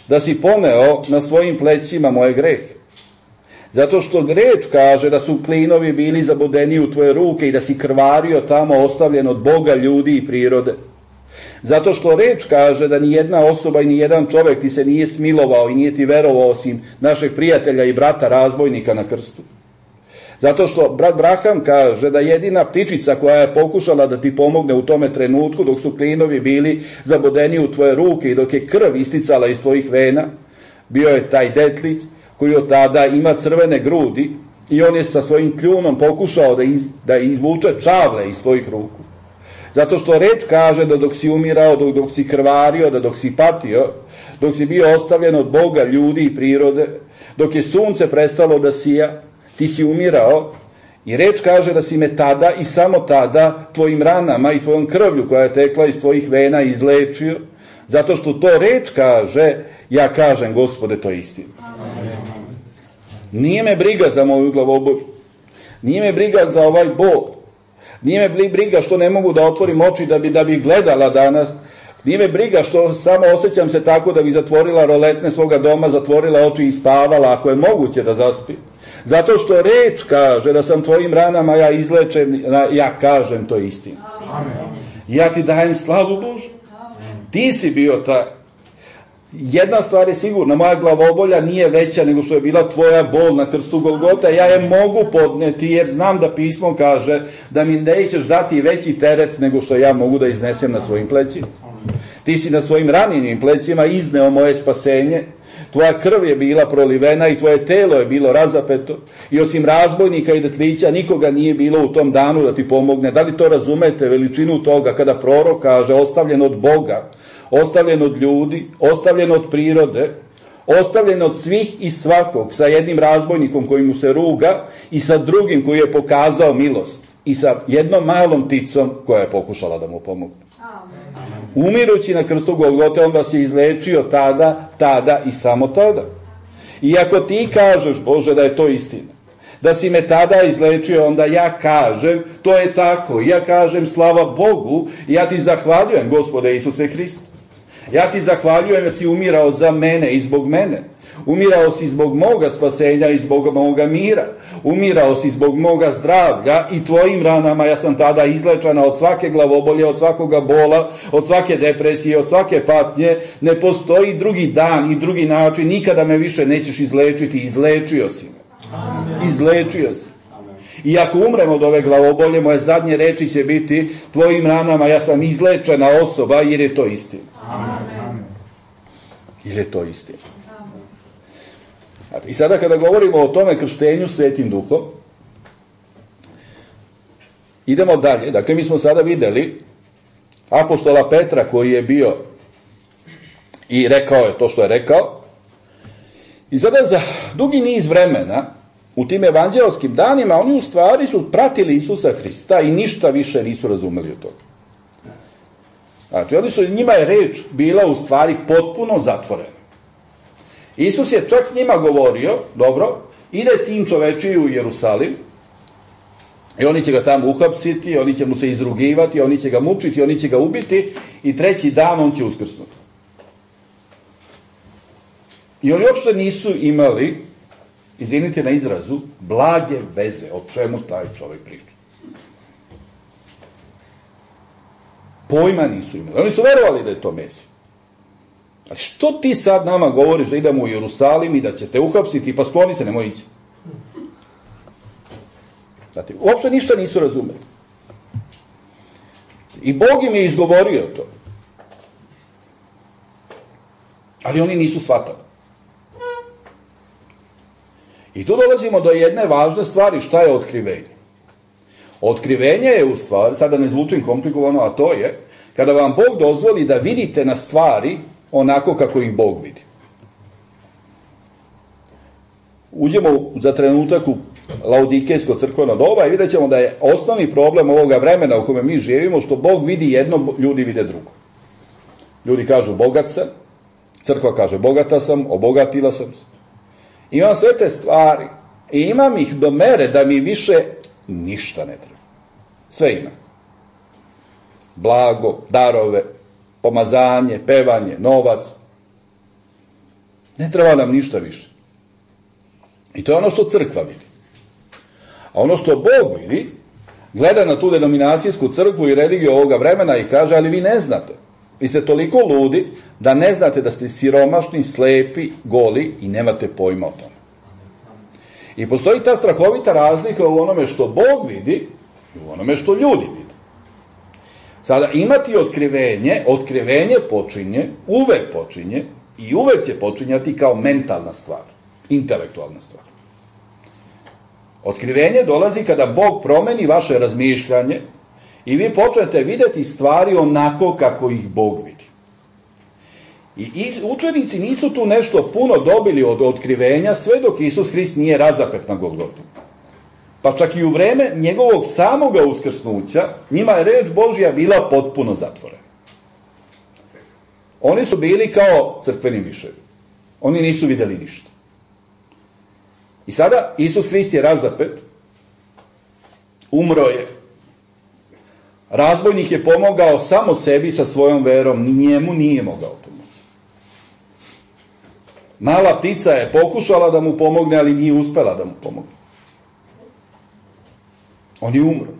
da si poneo na svojim plećima moje grehe. Zato što reč kaže da su klinovi bili zabodeni u tvoje ruke i da si krvario tamo ostavljen od Boga, ljudi i prirode. Zato što reč kaže da ni jedna osoba i ni jedan čovek ti se nije smilovao i nije ti verovao osim našeg prijatelja i brata razbojnika na krstu. Zato što brat Braham kaže da jedina ptičica koja je pokušala da ti pomogne u tome trenutku dok su klinovi bili zabodeni u tvoje ruke i dok je krv isticala iz tvojih vena, bio je taj detlić koji od tada ima crvene grudi i on je sa svojim kljunom pokušao da, iz, da izvuče čavle iz tvojih ruku. Zato što reč kaže da dok si umirao, dok, dok si krvario, da dok si patio, dok si bio ostavljen od Boga, ljudi i prirode, dok je sunce prestalo da sija, ti si umirao i reč kaže da si me tada i samo tada tvojim ranama i tvojom krvlju koja je tekla iz tvojih vena izlečio, zato što to reč kaže, ja kažem, Gospode, to je istina. Nije me briga za moju glavobolju, nije me briga za ovaj bol, nije me briga što ne mogu da otvorim oči da bi, da bi gledala danas, nije me briga što samo osjećam se tako da bi zatvorila roletne svoga doma, zatvorila oči i spavala, ako je moguće da zaspi. Zato što reč kaže da sam tvojim ranama ja izlečen, ja kažem, to je istina. Ja ti dajem slavu, Bože. Ti si bio taj. Jedna stvar je sigurna, moja glavobolja nije veća nego što je bila tvoja bol na krstu Golgota, ja je mogu podneti jer znam da pismo kaže da mi nećeš dati veći teret nego što ja mogu da iznesem na svojim plećima. Ti si na svojim ranjenim plećima izneo moje spasenje, tvoja krv je bila prolivena i tvoje telo je bilo razapeto i osim razbojnika i detlića nikoga nije bilo u tom danu da ti pomogne. Da li to razumete, veličinu toga kada prorok kaže ostavljen od Boga, ostavljen od ljudi, ostavljen od prirode, ostavljen od svih i svakog, sa jednim razbojnikom koji mu se ruga i sa drugim koji je pokazao milost i sa jednom malom pticom koja je pokušala da mu pomogne. Umirući na krstu Golgote, on vas je izlečio tada, tada i samo tada. I ako ti kažeš, Bože, da je to istina, da si me tada izlečio, onda ja kažem, to je tako. Ja kažem, slava Bogu, ja ti zahvaljujem, Gospode Isuse Hriste. Ja ti zahvaljujem jer si umirao za mene i zbog mene. Umirao si zbog moga spasenja i zbog moga mira. Umirao si zbog moga zdravlja i tvojim ranama ja sam tada izlečena od svake glavobolje, od svakoga bola, od svake depresije, od svake patnje. Ne postoji drugi dan i drugi način, nikada me više nećeš izlečiti. Izlečio si me. Amen. Izlečio si. Amen. I ako umrem od ove glavobolje, moje zadnje reči će biti tvojim ranama ja sam izlečena osoba jer je to istina. Amen. Jer je to istina. I sada kada govorimo o tome krštenju Svetim Duhom, idemo dalje. Dakle, mi smo sada videli apostola Petra koji je bio i rekao je to što je rekao. I sada za dugi niz vremena u tim evanđelskim danima oni u stvari su pratili Isusa Hrista i ništa više nisu razumeli od toga. Znači, oni su, njima je reč bila u stvari potpuno zatvorena. Isus je čak njima govorio, dobro, ide sin čovečiji u Jerusalim i oni će ga tamo uhapsiti, oni će mu se izrugivati, oni će ga mučiti, oni će ga ubiti i treći dan on će uskrsnuti. I oni uopšte nisu imali, izvinite na izrazu, blage veze o čemu taj čovjek priča. Pojma nisu imali. Oni su verovali da je to Mesija. A što ti sad nama govoriš da idemo u Jerusalim i da će te uhapsiti, pa skloni se, nemoj ići. Znate, uopšte ništa nisu razumeli. I Bog im je izgovorio to. Ali oni nisu shvatali. I tu dolazimo do jedne važne stvari, šta je otkrivenje. Otkrivenje je u stvari, sada ne zvučim komplikovano, a to je, kada vam Bog dozvoli da vidite na stvari onako kako ih Bog vidi. Uđemo za trenutak u laodikejsko crkveno doba i vidjet ćemo da je osnovni problem ovoga vremena u kome mi živimo što Bog vidi jedno, ljudi vide drugo. Ljudi kažu bogat sam, crkva kaže bogata sam, obogatila sam se. Imam sve te stvari i imam ih do mere da mi više ništa ne treba. Sve imam. Blago, darove, pomazanje, pevanje, novac. Ne treba nam ništa više. I to je ono što crkva vidi. A ono što Bog vidi, gleda na tu denominacijsku crkvu i religiju ovoga vremena i kaže, ali vi ne znate. Vi ste toliko ludi da ne znate da ste siromašni, slepi, goli i nemate pojma o tome. I postoji ta strahovita razlika u onome što Bog vidi i u onome što ljudi vidi. Sada, imati otkrivenje, otkrivenje počinje, uvek počinje i uvek će počinjati kao mentalna stvar, intelektualna stvar. Otkrivenje dolazi kada Bog promeni vaše razmišljanje i vi počnete vidjeti stvari onako kako ih Bog vidi. I učenici nisu tu nešto puno dobili od otkrivenja sve dok Isus Hrist nije razapet na Golgotu. Pa čak i u vreme njegovog samoga uskrsnuća, njima je reč Božja bila potpuno zatvorena. Oni su bili kao crkveni miševi. Oni nisu vidjeli ništa. I sada Isus Hrist je razapet, umro je. Razbojnik je pomogao samo sebi sa svojom verom, njemu nije mogao pomoći. Mala ptica je pokušala da mu pomogne, ali nije uspela da mu pomogne. On je umro.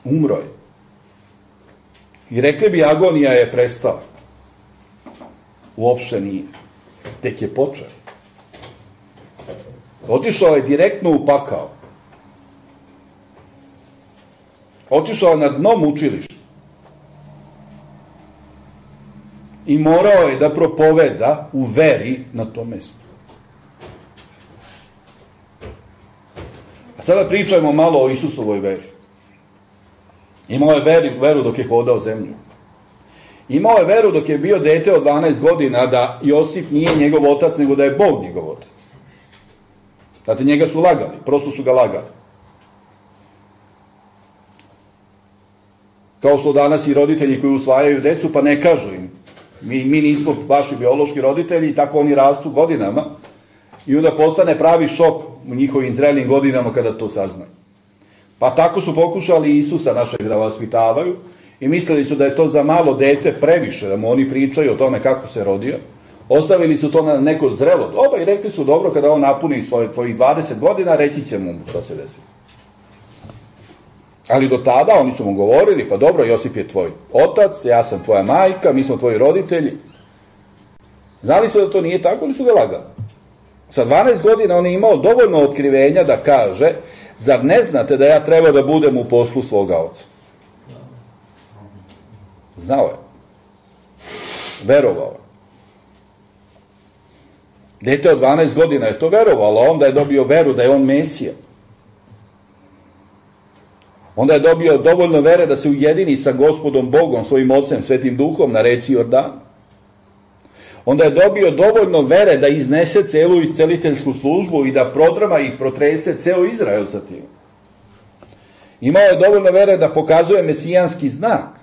Umro je. I rekli bi, agonija je prestala. Uopšte nije. Tek je počeo. Otišao je direktno u pakao. Otišao je na dno mučilišta. I morao je da propoveda u veri na tom mjestu. A sada pričajmo malo o Isusovoj veri. Imao je veru, veru dok je hodao zemlju. Imao je veru dok je bio dete od dvanaest godina da Josip nije njegov otac, nego da je Bog njegov otac. Znate, njega su lagali, prosto su ga lagali. Kao što danas i roditelji koji usvajaju decu, pa ne kažu im. Mi, mi nismo vaši biološki roditelji i tako oni rastu godinama i onda postane pravi šok u njihovim zrelim godinama kada to saznaju. Pa tako su pokušali Isusa našeg da vaspitavaju i mislili su da je to za malo dete previše, da mu oni pričaju o tome kako se rodio. Ostavili su to na neko zrelo doba i rekli su, dobro, kada on napuni svoje, tvojih dvadeset godina, reći će mu što se desi. Ali do tada oni su mu govorili, pa dobro, Josip je tvoj otac, ja sam tvoja majka, mi smo tvoji roditelji. Znali su da to nije tako, ali su ga lagali. Sa dvanaest godina on je imao dovoljno otkrivenja da kaže, zar ne znate da ja treba da budem u poslu svoga oca? Znao je. Verovao je. Dete od dvanaest godina je to verovalo, onda je dobio veru da je on Mesija. Onda je dobio dovoljno vere da se ujedini sa Gospodom Bogom, svojim Ocem, Svetim Duhom na reci Jordan. Onda je dobio dovoljno vere da iznese celu isceliteljsku službu i da prodrama i protrese ceo Izrael sa tim. Imao je dovoljno vere da pokazuje mesijanski znak.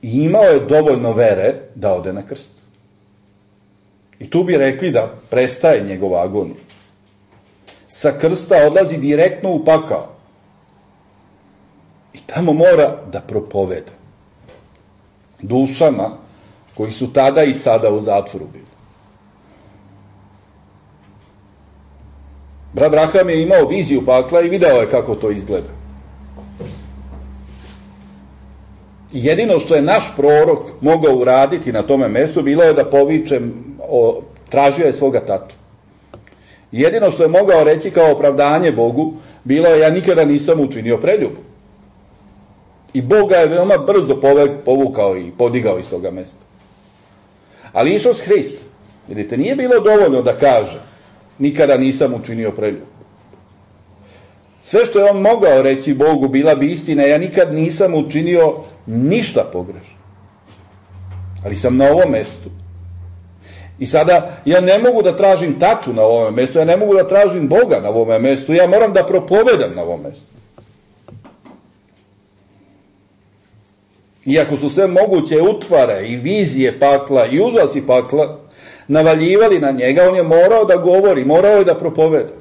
I imao je dovoljno vere da ode na krst. I tu bi rekli da prestaje njegov agonij. Sa krsta odlazi direktno u pakao. I tamo mora da propoveda dušama koji su tada i sada u zatvoru bili. Brat Braham je imao viziju pakla i video je kako to izgleda. I jedino što je naš prorok mogao uraditi na tome mestu bilo je da poviče, o, tražio je svoga tatu. Jedino što je mogao reći kao opravdanje Bogu bilo je, ja nikada nisam učinio preljubu. I Bog ga je veoma brzo povukao i podigao iz toga mesta. Ali Isus Hrist, vidite, nije bilo dovoljno da kaže, nikada nisam učinio preljubu. Sve što je on mogao reći Bogu bila bi istina, ja nikad nisam učinio ništa pogrešno. Ali sam na ovom mestu. I sada ja ne mogu da tražim tatu na ovom mestu, ja ne mogu da tražim Boga na ovom mestu, ja moram da propovedam na ovom mestu. Iako su sve moguće utvare i vizije pakla i užasi pakla navaljivali na njega, on je morao da govori, morao je da propoveda.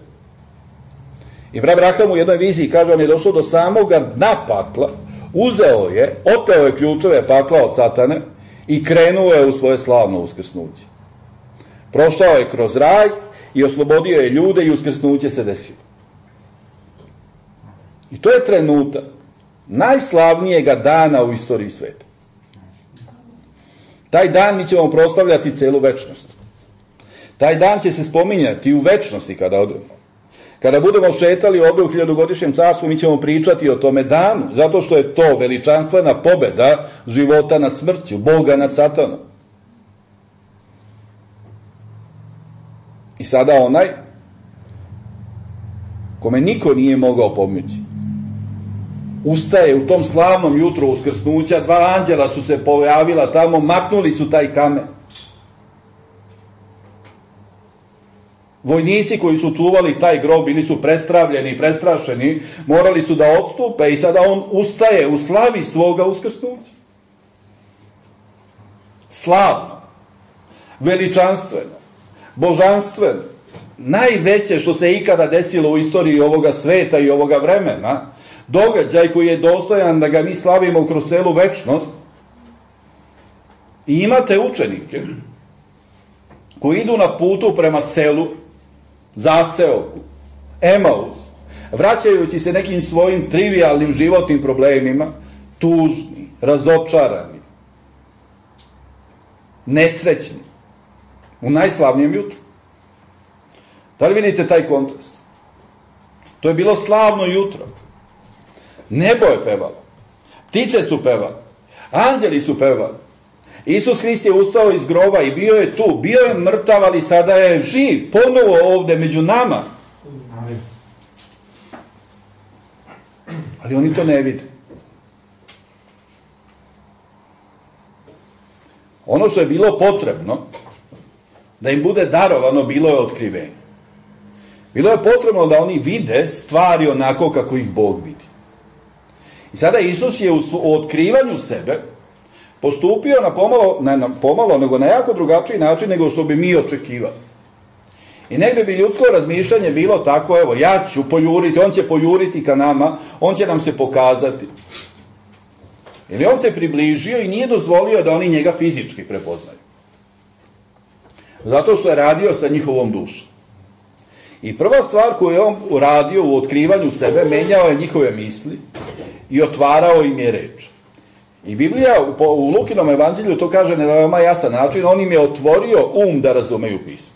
I brat Braham u jednoj viziji kaže, on je došao do samoga dna pakla, uzeo je, oteo je ključeve pakla od satane i krenuo je u svoje slavno uskrsnuće. Prošao je kroz raj i oslobodio je ljude i uskrsnuće se desilo. I to je trenutak najslavnijega dana u istoriji sveta. Taj dan mi ćemo proslavljati celu večnost. Taj dan će se spominjati u večnosti kada odemo. Kada budemo šetali ovdje u hiljadugodišnjem carstvu, mi ćemo pričati o tome danu, zato što je to veličanstvena pobeda života nad smrću, Boga nad satanom. I sada onaj kome niko nije mogao pomoći ustaje u tom slavnom jutru uskrsnuća, dva anđela su se pojavila tamo, maknuli su taj kamen. Vojnici koji su čuvali taj grob bili su prestravljeni i prestrašeni, morali su da odstupe i sada on ustaje u slavi svoga uskrsnuća. Slavno, veličanstveno, božanstveno, najveće što se ikada desilo u istoriji ovoga sveta i ovoga vremena, događaj koji je dostojan da ga mi slavimo kroz celu večnost. I imate učenike koji idu na putu prema selu, zaseoku, Emaus, vraćajući se nekim svojim trivialnim životnim problemima, tužni, razočarani, nesrećni, u najslavnijem jutru. Da li vidite taj kontrast? To je bilo slavno jutro. Nebo je pevalo, ptice su pevali, anđeli su pevali. Isus Hrist je ustao iz groba i bio je tu, bio je mrtav, ali sada je živ, ponovo ovde među nama. Ali oni to ne vide. Ono što je bilo potrebno da im bude darovano, bilo je otkrivenje. Bilo je potrebno da oni vide stvari onako kako ih Bog vidi. I sada Isus je u otkrivanju sebe postupio na pomalo, ne na pomalo, nego na jako drugačiji način nego što bi mi očekivali. I negde bi ljudsko razmišljanje bilo tako, evo, ja ću pojuriti, on će pojuriti ka nama, on će nam se pokazati. Ili on se približio i nije dozvolio da oni njega fizički prepoznaju. Zato što je radio sa njihovom dušom. I prva stvar koju je on uradio u otkrivanju sebe, menjao je njihove misli i otvarao im je reč. I Biblija u Lukinom evanđelju to kaže na veoma jasan način, on im je otvorio um da razumeju pismo.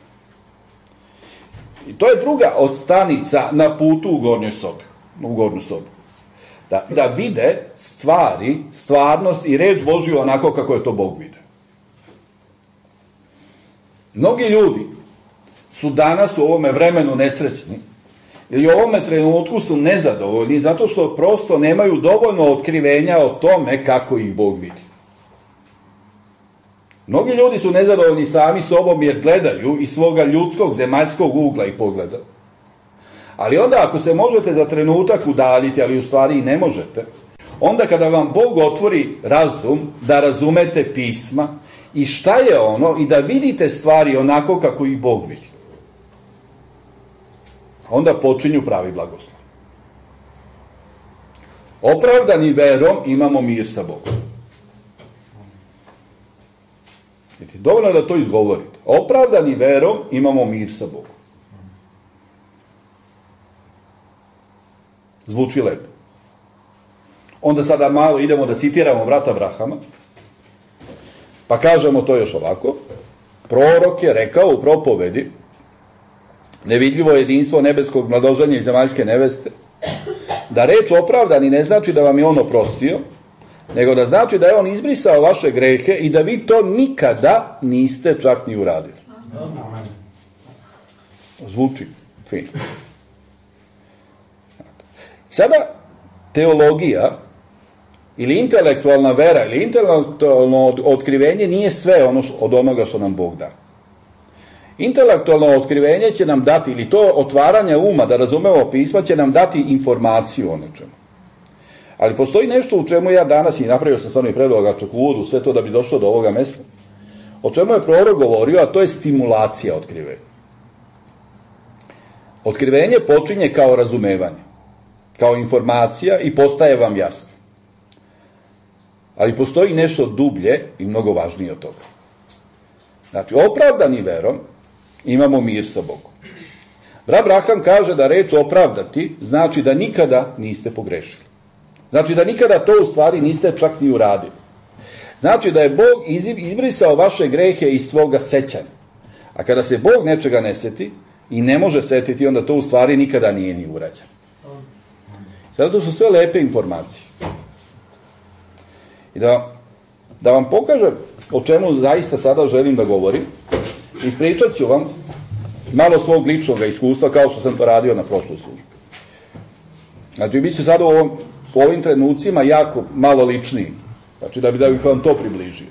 I to je druga od stanica na putu u gornjoj sobi, u gornju sobu. Da, da vide stvari, stvarnost i reč Božju onako kako je to Bog vide. Mnogi ljudi su danas u ovome vremenu nesrećni ili u ovome trenutku su nezadovoljni zato što prosto nemaju dovoljno otkrivenja o tome kako ih Bog vidi. Mnogi ljudi su nezadovoljni sami sobom jer gledaju iz svoga ljudskog, zemaljskog ugla i pogleda. Ali onda ako se možete za trenutak udaljiti, ali u stvari i ne možete, onda kada vam Bog otvori razum da razumete pisma i šta je ono i da vidite stvari onako kako ih Bog vidi, onda počinju pravi blagoslov. Opravdani verom imamo mir sa Bogom. Dovoljno je da to izgovorite. Opravdani verom imamo mir sa Bogom. Zvuči lepo. Onda sada malo idemo da citiramo brata Abrahama, pa kažemo to još ovako. Prorok je rekao u propovedi, nevidljivo jedinstvo nebeskog mladoženja i zemaljske neveste, da reč opravdani ne znači da vam je on oprostio, nego da znači da je on izbrisao vaše grehe i da vi to nikada niste čak ni uradili. Zvuči fino. Sada, teologija ili intelektualna vera ili intelektualno otkrivenje nije sve ono od onoga što nam Bog da. Intelektualno otkrivenje će nam dati, ili to otvaranje uma da razumemo pisma, će nam dati informaciju o nečemu. Ali postoji nešto u čemu ja danas, i napravio sam stvarno i predlogačak u uvodu, sve to da bi došlo do ovoga mesta, o čemu je prorok govorio, a to je stimulacija otkrivenja. Otkrivenje počinje kao razumevanje, kao informacija i postaje vam jasno. Ali postoji nešto dublje i mnogo važnije od toga. Znači, opravdani verom imamo mir sa Bogom. Brat Abraham kaže da reč opravdati znači da nikada niste pogrešili. Znači da nikada to u stvari niste čak ni uradili. Znači da je Bog izbrisao vaše grehe iz svoga sećanja. A kada se Bog nečega ne seti i ne može setiti, onda to u stvari nikada nije ni urađeno. Sada to su sve lepe informacije. I da, da vam pokažem o čemu zaista sada želim da govorim, ispričat ću vam malo svog ličnog iskustva kao što sam to radio na prošloj službi. Znači, bit će sada u, ovom, u ovim trenucima jako malo ličniji. Znači, da, bi, da bih vam to približio.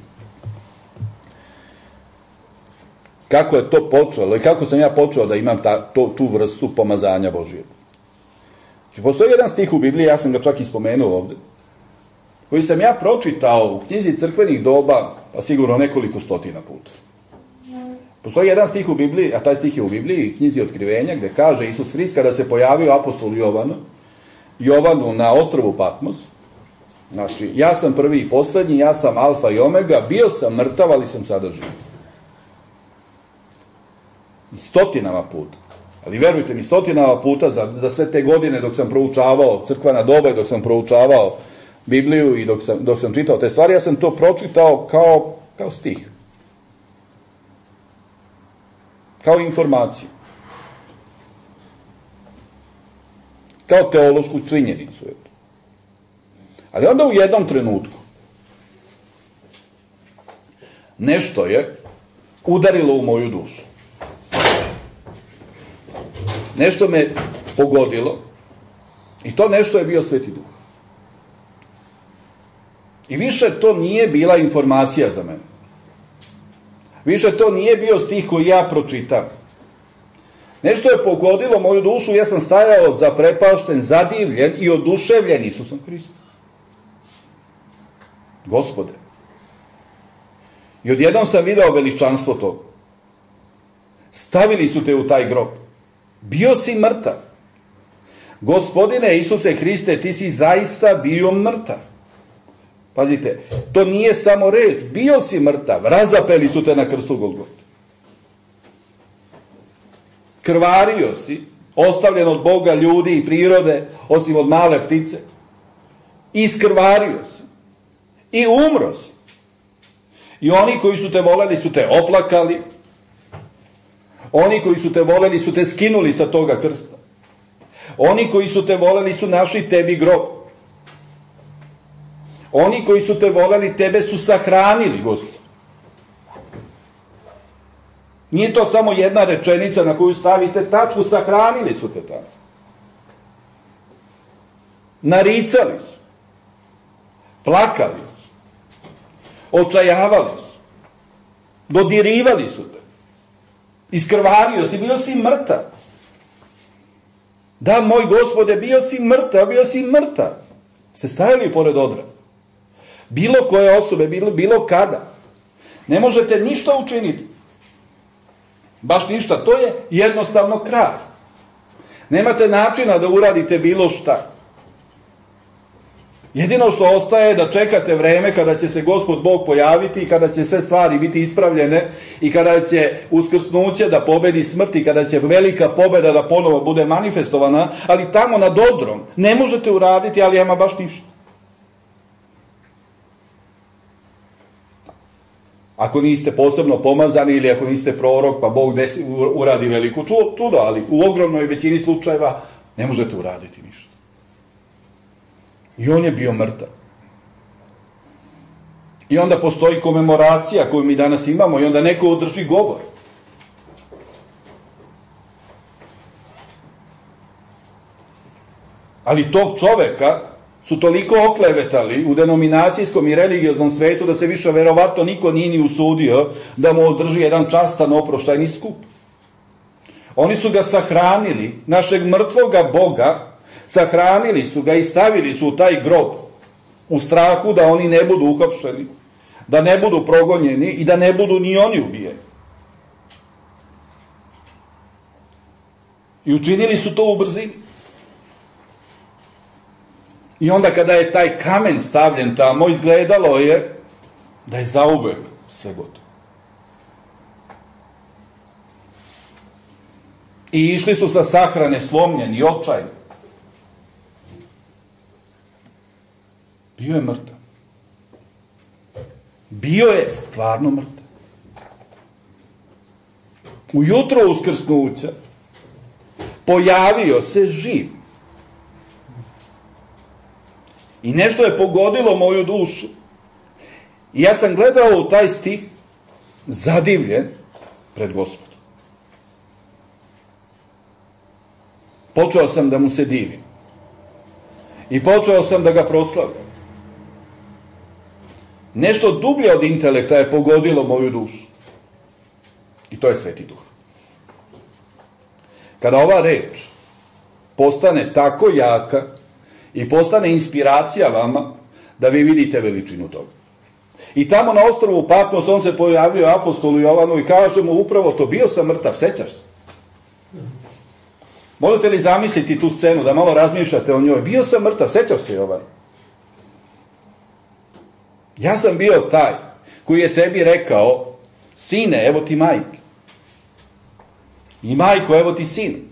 Kako je to počelo i kako sam ja počeo da imam ta, to, tu vrstu pomazanja Božijeg. Znači, postoji jedan stih u Bibliji, ja sam ga čak i spomenuo ovde, koji sam ja pročitao u knjizi crkvenih doba, pa sigurno nekoliko stotina puta. Postoji jedan stih u Bibliji, a taj stih je u Bibliji, knjizi Otkrivenja, gde kaže Isus Hrist kada se pojavio apostol Jovanu, Jovanu na ostrvu Patmos, znači, ja sam prvi i poslednji, ja sam alfa i omega, bio sam mrtav, ali sam sada živ. I stotinama puta. Ali verujte mi, stotinama puta za, za sve te godine dok sam proučavao crkvena doba i dok sam proučavao Bibliju i dok sam, dok sam čitao te stvari, ja sam to pročitao kao, kao stih. Kao informaciju. Kao teološku činjenicu. Ali onda u jednom trenutku nešto je udarilo u moju dušu. Nešto me pogodilo i to nešto je bio Sveti Duh. I više to nije bila informacija za mene. Više to nije bio stih koji ja pročitam. Nešto je pogodilo moju dušu, ja sam stajao zaprepašten, zadivljen i oduševljen Isusom Hristom. Gospode. I odjednom sam video veličanstvo toga. Stavili su te u taj grob. Bio si mrtav. Gospodine Isuse Hriste, ti si zaista bio mrtav. Pazite, to nije samo reč, bio si mrtav, razapeli su te na krstu Golgote. Krvario si, ostavljen od Boga, ljudi i prirode, osim od male ptice. Iskrvario si. I umro si. I oni koji su te voleli su te oplakali. Oni koji su te voleli su te skinuli sa toga krsta. Oni koji su te voleli su našli tebi grob. Oni koji su te voleli tebe su sahranili, Gospod. Nije to samo jedna rečenica na koju stavite tačku, sahranili su te tamo. Naricali su. Plakali su. Očajavali su. Dodirivali su te. Iskrvario si, bio si mrtav. Da, moj Gospode, bio si mrtav, bio si mrtav. Ste stajali pored odra. Bilo koje osobe, bilo, bilo kada. Ne možete ništa učiniti. Baš ništa. To je jednostavno kraj. Nemate načina da uradite bilo šta. Jedino što ostaje je da čekate vreme kada će se Gospod Bog pojaviti i kada će sve stvari biti ispravljene i kada će uskrsnuće da pobedi smrt i kada će velika pobeda da ponovo bude manifestovana, ali tamo nad odrom ne možete uraditi, ali ama baš ništa. Ako niste posebno pomazani ili ako niste prorok, pa Bog desi, uradi veliko čudo, ali u ogromnoj većini slučajeva ne možete uraditi ništa. I on je bio mrtav. I onda postoji komemoracija koju mi danas imamo i onda neko održi govor. Ali tog čoveka su toliko oklevetali u denominacijskom i religioznom svetu da se više verovatno niko nije ni usudio da mu održi jedan častan oproštajni skup. Oni su ga sahranili, našeg mrtvoga Boga, sahranili su ga i stavili su u taj grob u strahu da oni ne budu uhapšeni, da ne budu progonjeni i da ne budu ni oni ubijeni. I učinili su to u brzini. I onda kada je taj kamen stavljen tamo, izgledalo je da je zauvek sve gotovo. I išli su sa sahrane slomljeni, očajni. Bio je mrtav. Bio je stvarno mrtav. Ujutro uskrsnuća pojavio se živ. I nešto je pogodilo moju dušu. I ja sam gledao u taj stih zadivljen pred Gospodom. Počeo sam da mu se divim. I počeo sam da ga proslavljam. Nešto dublje od intelekta je pogodilo moju dušu. I to je Sveti Duh. Kada ova reč postane tako jaka i postane inspiracija vama, da vi vidite veličinu toga. I tamo na ostrvu Patmos on se pojavio apostolu Jovanu i kaže mu upravo to, bio sam mrtav, sećaš se? Možete li zamisliti tu scenu, da malo razmišljate o njoj? Bio sam mrtav, sećaš se, Jovan? Ja sam bio taj koji je tebi rekao, sine, evo ti majke. I majko, evo ti sin.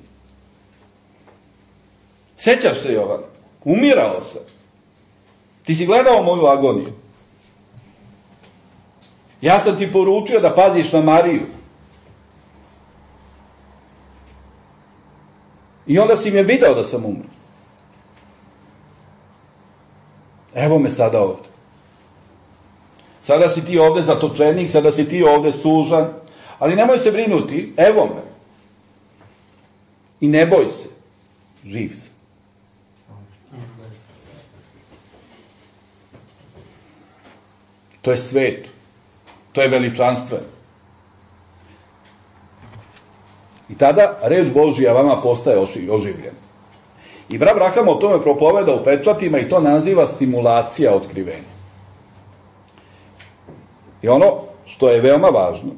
Sećaš se, Jovan? Umirao sam. Ti si gledao moju agoniju. Ja sam ti poručio da paziš na Mariju. I onda si me video da sam umro. Evo me sada ovde. Sada si ti ovde zatočenik, sada si ti ovde sužan, ali nemoj se brinuti, evo me. I ne boj se, živ sam. To je svet. To je veličanstveno. I tada reč Božija vama postaje oživljena. I brat Braham o tome propoveda u pečatima i to naziva stimulacija otkrivenja. I ono što je veoma važno,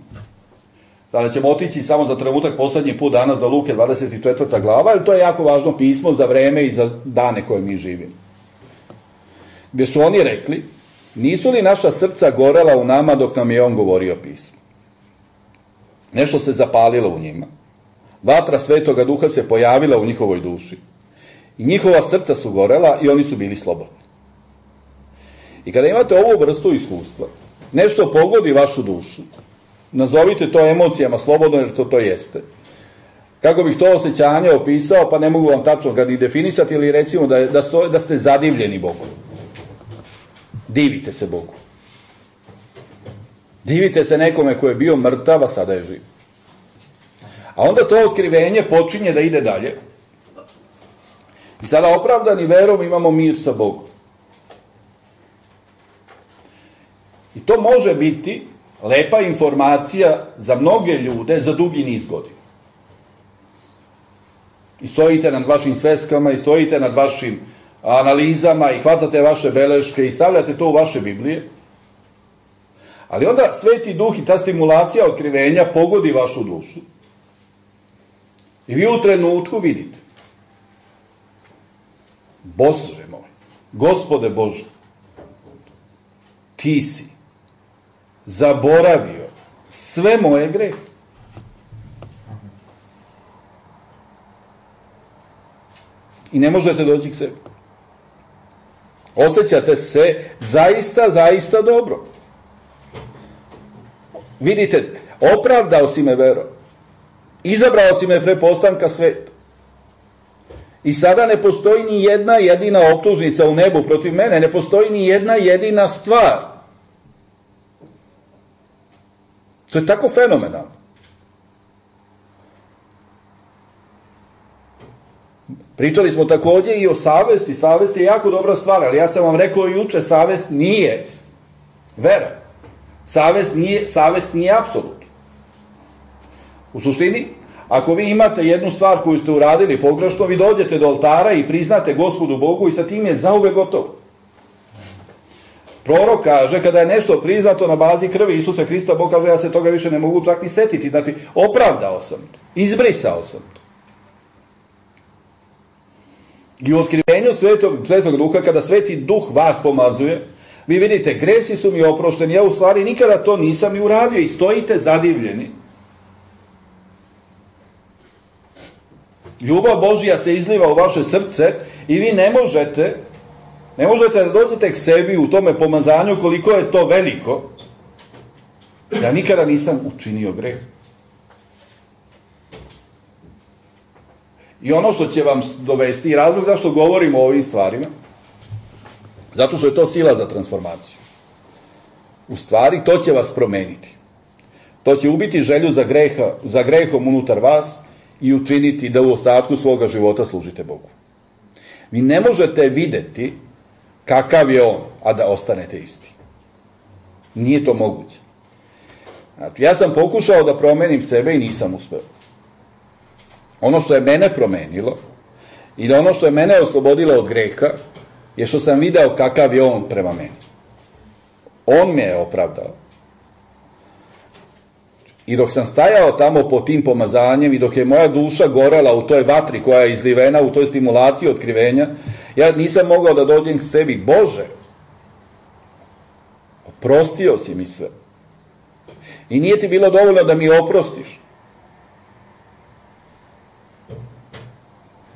sada ćemo otići samo za trenutak poslednji put danas do Luke dvadeset četvrta glava, jer to je jako važno pismo za vreme i za dane koje mi živimo. Gde su oni rekli Nisu li naša srca gorela u nama dok nam je on govorio pismo? Nešto se zapalilo u njima. Vatra Svetoga Duha se pojavila u njihovoj duši. I njihova srca su gorela i oni su bili slobodni. I kada imate ovu vrstu iskustva, nešto pogodi vašu dušu, nazovite to emocijama slobodno, jer to to jeste. Kako bih to osjećanje opisao, pa ne mogu vam tačno ga ni definisati, ili recimo da, da, sto, da ste zadivljeni Bogu. Divite se Bogu. Divite se nekome ko je bio mrtav, a sada je živ. A onda to otkrivenje počinje da ide dalje. I sada opravdani verom imamo mir sa Bogom. I to može biti lepa informacija za mnoge ljude za dugi niz godina. I stojite nad vašim sveskama, i stojite nad vašim analizama, i hvatate vaše beleške, i stavljate to u vaše Biblije. Ali onda Sveti Duh i ta stimulacija otkrivenja pogodi vašu dušu. I vi u trenutku vidite: Bože moj, Gospode Bože, ti si zaboravio sve moje grehe. I ne možete doći k sebi. Osjećate se zaista, zaista dobro. Vidite, opravdao si me vero. Izabrao si me pre postanka sveta. I sada ne postoji ni jedna jedina optužnica u nebu protiv mene, ne postoji ni jedna jedina stvar. To je tako fenomenalno. Pričali smo također i o savesti. Savest je jako dobra stvar, ali ja sam vam rekao juče, savest nije vera. Savest nije, savest nije apsolut. U suštini, ako vi imate jednu stvar koju ste uradili pogrešno, vi dođete do oltara i priznate Gospodu Bogu i sa tim je zauvek gotovo. Prorok kaže, kada je nešto priznato na bazi krvi Isusa Hrista, Bog kaže, ja se toga više ne mogu čak ni setiti. Znači, opravdao sam to, izbrisao sam to. I u otkrivenju Svetog, Svetog Duha, kada Sveti Duh vas pomazuje, vi vidite, gresi su mi oprošteni, ja u stvari nikada to nisam ni uradio, i stojite zadivljeni. Ljubav Božja se izliva u vaše srce i vi ne možete, ne možete da dođete k sebi u tome pomazanju koliko je to veliko. Ja nikada nisam učinio greh. I ono što će vam dovesti, i razlog zašto govorimo o ovim stvarima, zato što je to sila za transformaciju. U stvari, to će vas promeniti. To će ubiti želju za, greha, za grehom unutar vas i učiniti da u ostatku svoga života služite Bogu. Vi ne možete videti kakav je on, a da ostanete isti. Nije to moguće. Znači, ja sam pokušao da promenim sebe i nisam uspeo. Ono što je mene promenilo i da ono što je mene oslobodilo od greha je što sam video kakav je on prema meni. On me je opravdao. I dok sam stajao tamo pod tim pomazanjem i dok je moja duša gorela u toj vatri koja je izlivena, u toj stimulaciji otkrivenja, ja nisam mogao da dođem k sebi. Bože, oprostio si mi sve. I nije ti bilo dovoljno da mi oprostiš.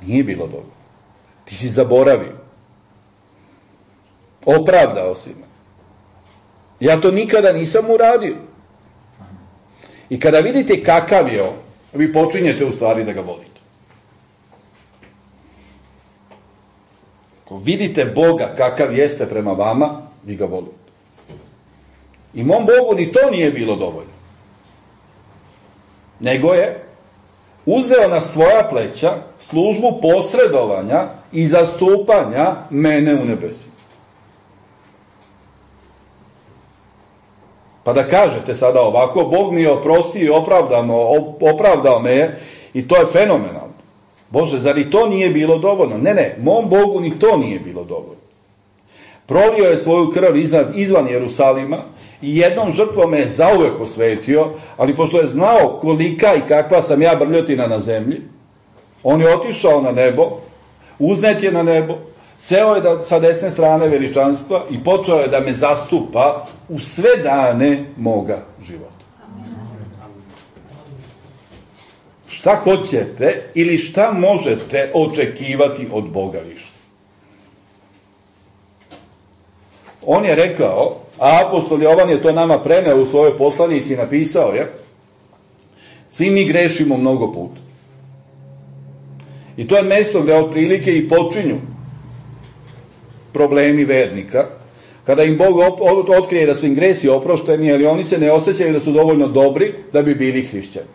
Nije bilo dovoljno. Ti si zaboravio. Opravdao si me. Ja to nikada nisam uradio. I kada vidite kakav je on, vi počinjete u stvari da ga volite. Ako vidite Boga kakav jeste prema vama, vi ga volite. I mom Bogu ni to nije bilo dovoljno. Nego je uzeo na svoja pleća službu posredovanja i zastupanja mene u nebesima. Pa da kažete sada ovako, Bog mi je oprostio i opravdao me je, i to je fenomenalno. Bože, zar i to nije bilo dovoljno? Ne, ne, mom Bogu ni to nije bilo dovoljno. Prolio je svoju krv iznad, izvan Jerusalima i jednom žrtvom me je zauvek osvetio, ali pošto je znao kolika i kakva sam ja brljotina na zemlji, on je otišao na nebo, uznet je na nebo, Seo je da, sa desne strane veličanstva i počeo je da me zastupa u sve dane moga života. Šta hoćete ili šta možete očekivati od Boga više? On je rekao, a apostol Jovan je to nama preneo u svojoj poslanici i napisao je, svi mi grešimo mnogo puta. I to je mesto gde otprilike i počinju problemi vernika, kada im Bog otkrije da su im gresi oprošteni, ali oni se ne osjećaju da su dovoljno dobri da bi bili hrišćani.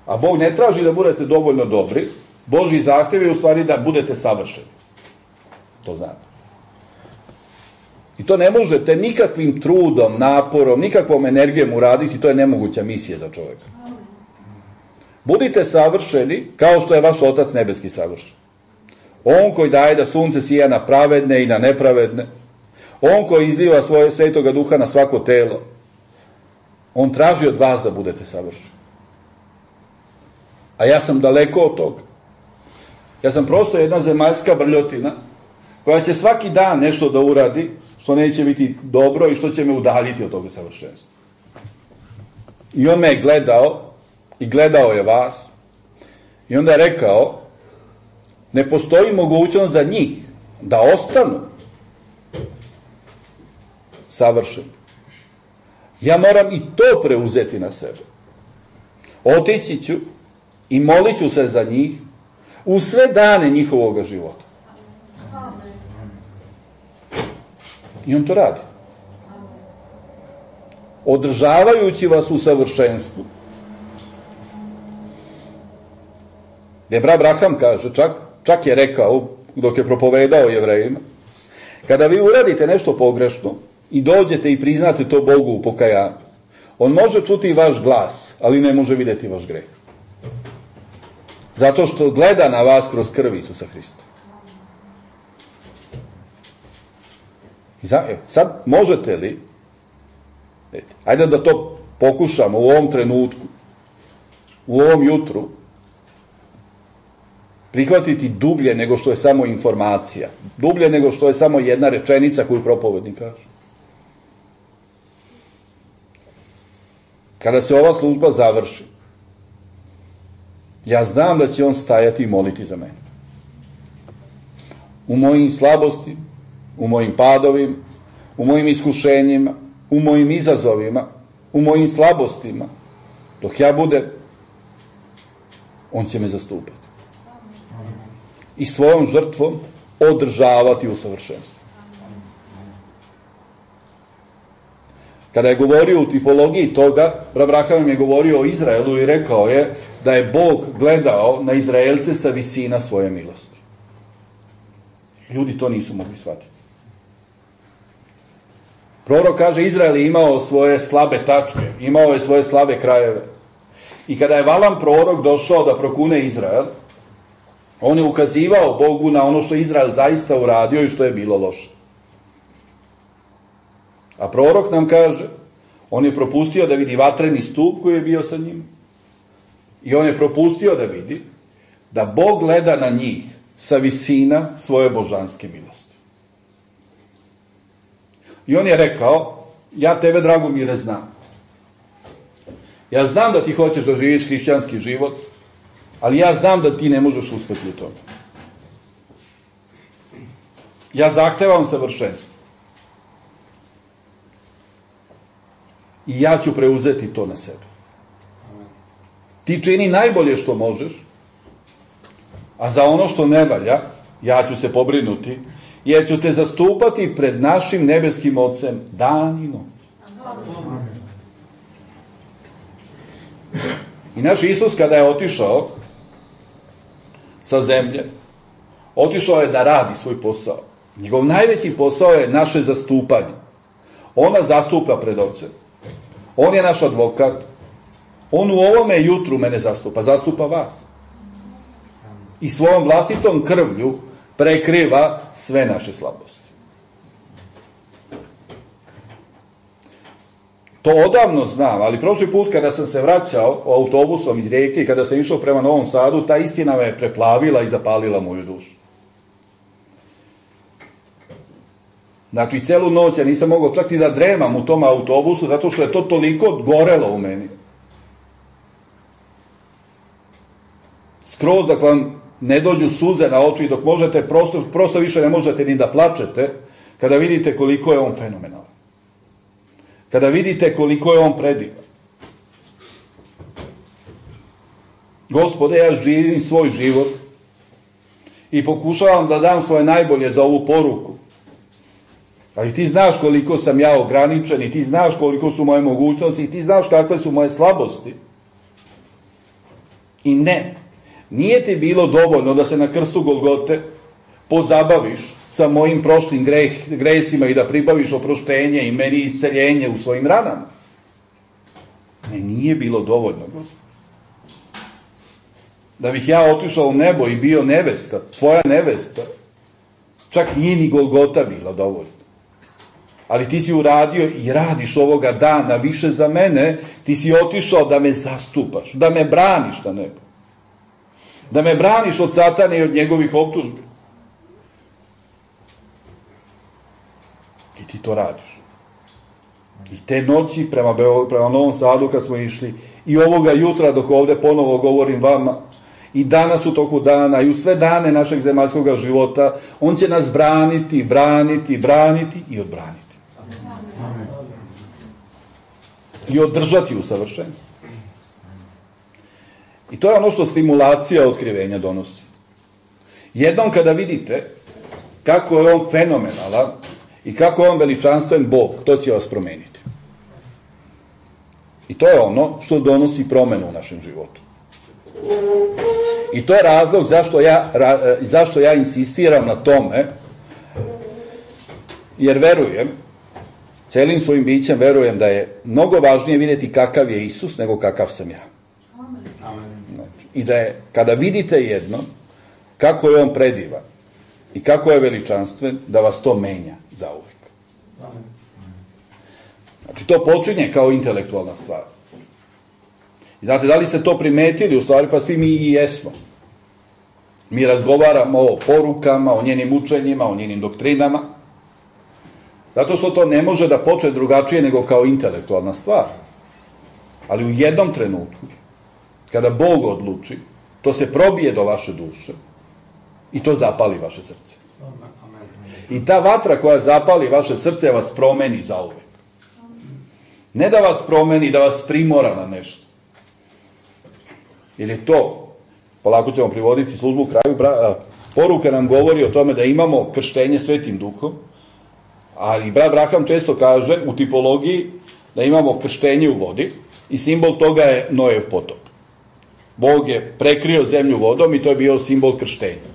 A Bog ne traži da budete dovoljno dobri, Božji zahtev je u stvari da budete savršeni. To znate. I to ne možete nikakvim trudom, naporom, nikakvom energijom uraditi, to je nemoguća misija za čovjeka. Budite savršeni kao što je vaš Otac nebeski savršen. On koji daje da sunce sija na pravedne i na nepravedne, on koji izliva svoje svetoga duha na svako telo, on traži od vas da budete savršeni. A ja sam daleko od toga. Ja sam prosto jedna zemaljska brljotina koja će svaki dan nešto da uradi što neće biti dobro i što će me udaljiti od toga savršenstva. I on me je gledao i gledao je vas i onda je rekao, ne postoji mogućnost za njih da ostanu savršeni. Ja moram i to preuzeti na sebe. Otići ću i molit ću se za njih u sve dane njihovoga života. I on to radi. Održavajući vas u savršenstvu. Gde Abraham kaže, čak, čak je rekao, dok je propovedao Jevrejima, kada vi uradite nešto pogrešno i dođete i priznate to Bogu u pokajanju, on može čuti vaš glas, ali ne može vidjeti vaš greh. Zato što gleda na vas kroz krv Isusa Hrista. Sad možete li, ajde da to pokušamo u ovom trenutku, u ovom jutru, prihvatiti dublje nego što je samo informacija, dublje nego što je samo jedna rečenica koju propovednik kaže. Kada se ova služba završi, ja znam da će on stajati i moliti za mene. U mojim slabosti, u mojim padovima, u mojim iskušenjima, u mojim izazovima, u mojim slabostima, dok ja budem, on će me zastupati. I svojom žrtvom održavati u savršenstvu. Kada je govorio u tipologiji toga, Abraham je govorio o Izraelu i rekao je da je Bog gledao na Izraelce sa visina svoje milosti. Ljudi to nisu mogli shvatiti. Prorok kaže, Izrael je imao svoje slabe tačke, imao je svoje slabe krajeve. I kada je Valam prorok došao da prokune Izrael, on je ukazivao Bogu na ono što Izrael zaista uradio i što je bilo loše. A prorok nam kaže, on je propustio da vidi vatreni stup koji je bio sa njim. I on je propustio da vidi da Bog gleda na njih sa visina svoje božanske milosti. I on je rekao, ja tebe, Dragomire, znam. Ja znam da ti hoćeš da živiš hrišćanski život, ali ja znam da ti ne možeš uspeti u tome. Ja zahtevam savršenstvo. I ja ću preuzeti to na sebe. Ti čini najbolje što možeš, a za ono što ne valja, ja ću se pobrinuti, jer ću te zastupati pred našim nebeskim Ocem dan i noć. I naš Isus kada je otišao sa zemlje, otišao je da radi svoj posao. Njegov najveći posao je naše zastupanje. Ona zastupa pred Ocem. On je naš advokat. On u ovome jutru mene zastupa. Zastupa vas. I svojom vlastitom krvlju prekriva sve naše slabosti. To odavno znam, ali prošli put kada sam se vraćao autobusom iz Rijeke i kada sam išao prema Novom Sadu, ta istina me preplavila i zapalila moju dušu. Znači, celu noć ja nisam mogao čak ni da dremam u tom autobusu, zato što je to toliko gorelo u meni. Skroz dok vam ne dođu suze na oči i dok možete, prosto, prosto više ne možete ni da plačete, kada vidite koliko je on fenomenalan. Kada vidite koliko je on predivan. Gospode, ja živim svoj život i pokušavam da dam svoje najbolje za ovu poruku. Ali ti znaš koliko sam ja ograničen i ti znaš koliko su moje mogućnosti i ti znaš kakve su moje slabosti. I ne, nije ti bilo dovoljno da se na krstu Golgote pozabaviš sa mojim prošlim greh, gresima i da pribaviš oproštenje i meni isceljenje u svojim ranama. Ne, nije bilo dovoljno, Gospod. Da bih ja otišao u nebo i bio nevesta, tvoja nevesta, čak nije ni Golgota bila dovoljno. Ali ti si uradio i radiš ovoga dana više za mene, ti si otišao da me zastupaš, da me braniš na nebu. Da me braniš od Satana i od njegovih optužbi. I ti to radiš. I te noći prema, prema Novom Sadu kad smo išli, i ovoga jutra dok ovde ponovo govorim vama, i danas u toku dana, i u sve dane našeg zemaljskog života, on će nas braniti, braniti, braniti i odbraniti. I održati u savršenstvu. I to je ono što stimulacija otkrivenja donosi. Jednom kada vidite kako je on fenomenalan i kako je on veličanstven Bog, to će vas promeniti. I to je ono što donosi promenu u našem životu. I to je razlog zašto ja, zašto ja insistiram na tome, jer verujem, celim svojim bićem verujem da je mnogo važnije vidjeti kakav je Isus nego kakav sam ja. Znači, i da je, kada vidite jedno, kako je on predivan i kako je veličanstven, da vas to menja zauvek. Znači, to počinje kao intelektualna stvar. I znate, da li ste to primetili? U stvari, pa svi mi i jesmo. Mi razgovaramo o porukama, o njenim učenjima, o njenim doktrinama, zato što to ne može da počne drugačije nego kao intelektualna stvar. Ali u jednom trenutku, kada Bog odluči, to se probije do vaše duše i to zapali vaše srce. I ta vatra koja zapali vaše srce vas promeni zauvek. Ne da vas promeni, da vas primora na nešto. Jer je to, polako ćemo privoditi službu u kraju, poruka nam govori o tome da imamo krštenje Svetim Duhom, ali brat Braham često kaže u tipologiji da imamo krštenje u vodi i simbol toga je Nojev potop. Bog je prekrio zemlju vodom i to je bio simbol krštenja.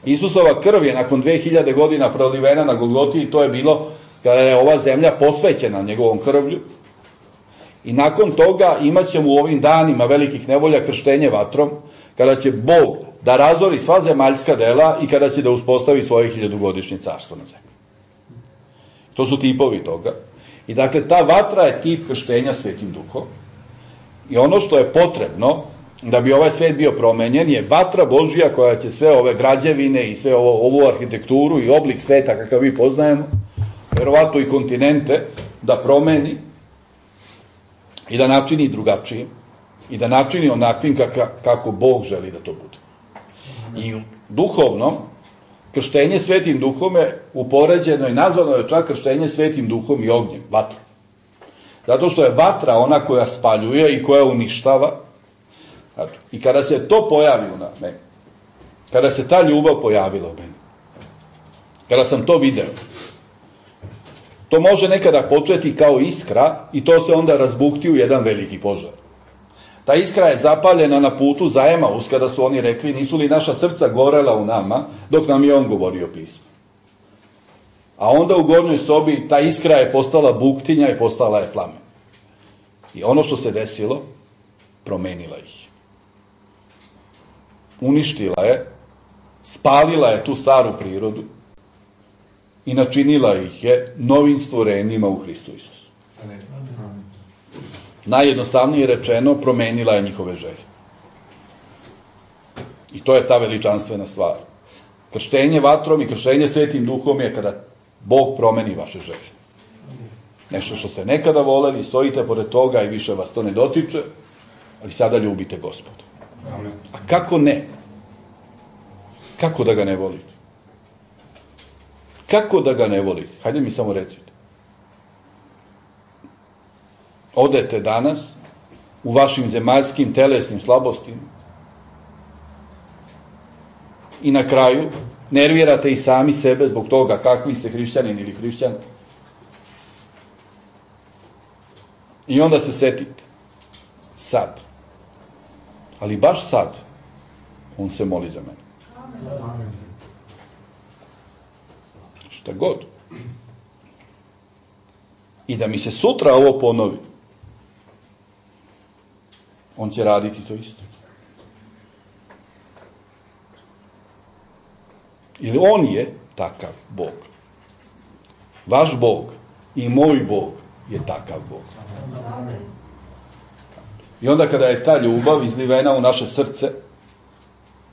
Isusova krv je nakon dve hiljade godina prolivena na Golgoti i to je bilo kada je ova zemlja posvećena njegovom krvlju. I nakon toga imat ćemo u ovim danima velikih nevolja krštenje vatrom, kada će Bog da razori sva zemaljska dela i kada će da uspostavi svoje hiljadugodišnje carstvo na zemlji. To su tipovi toga. I dakle, ta vatra je tip krštenja Svetim Duhom. I ono što je potrebno da bi ovaj svet bio promenjen je vatra Božija koja će sve ove građevine i sve ovo, ovu arhitekturu i oblik sveta kakav mi poznajemo, verovatno i kontinente, da promeni i da načini drugačijim i da načini onakvim kaka, kako Bog želi da to bude. I duhovno, krštenje Svetim Duhom je upoređeno i nazvano je čak krštenje Svetim Duhom i ognjem, vatrom. Zato što je vatra ona koja spaljuje i koja uništava. Znači, i kada se to pojavi u meni, kada se ta ljubav pojavila u meni, kada sam to video, to može nekada početi kao iskra i to se onda razbukti u jedan veliki požar. Ta iskra je zapaljena na putu za Emaus, kada su oni rekli, nisu li naša srca gorela u nama, dok nam je on govorio pismo. A onda u gornjoj sobi ta iskra je postala buktinja i postala je plamen. I ono što se desilo, promenila ih. Uništila je, spalila je tu staru prirodu i načinila ih je novim stvorenjima u Hristu Isusu. Najjednostavnije rečeno, promenila je njihove želje. I to je ta veličanstvena stvar. Krštenje vatrom i krštenje Svetim Duhom je kada Bog promeni vaše želje. Nešto što ste nekada voleli, stojite pored toga i više vas to ne dotiče, ali sada ljubite Gospoda. A kako ne? Kako da ga ne volite? Kako da ga ne volite? Hajde mi samo recite. Odete danas u vašim zemaljskim telesnim slabostima i na kraju nervirate i sami sebe zbog toga kakvi ste hrišćanin ili hrišćanka. I onda se setite. Sad. Ali baš sad on se moli za mene. Amen. Šta god. I da mi se sutra ovo ponovi, on će raditi to isto. Ili on je takav Bog. Vaš Bog i moj Bog je takav Bog. I onda kada je ta ljubav izlivena u naše srce,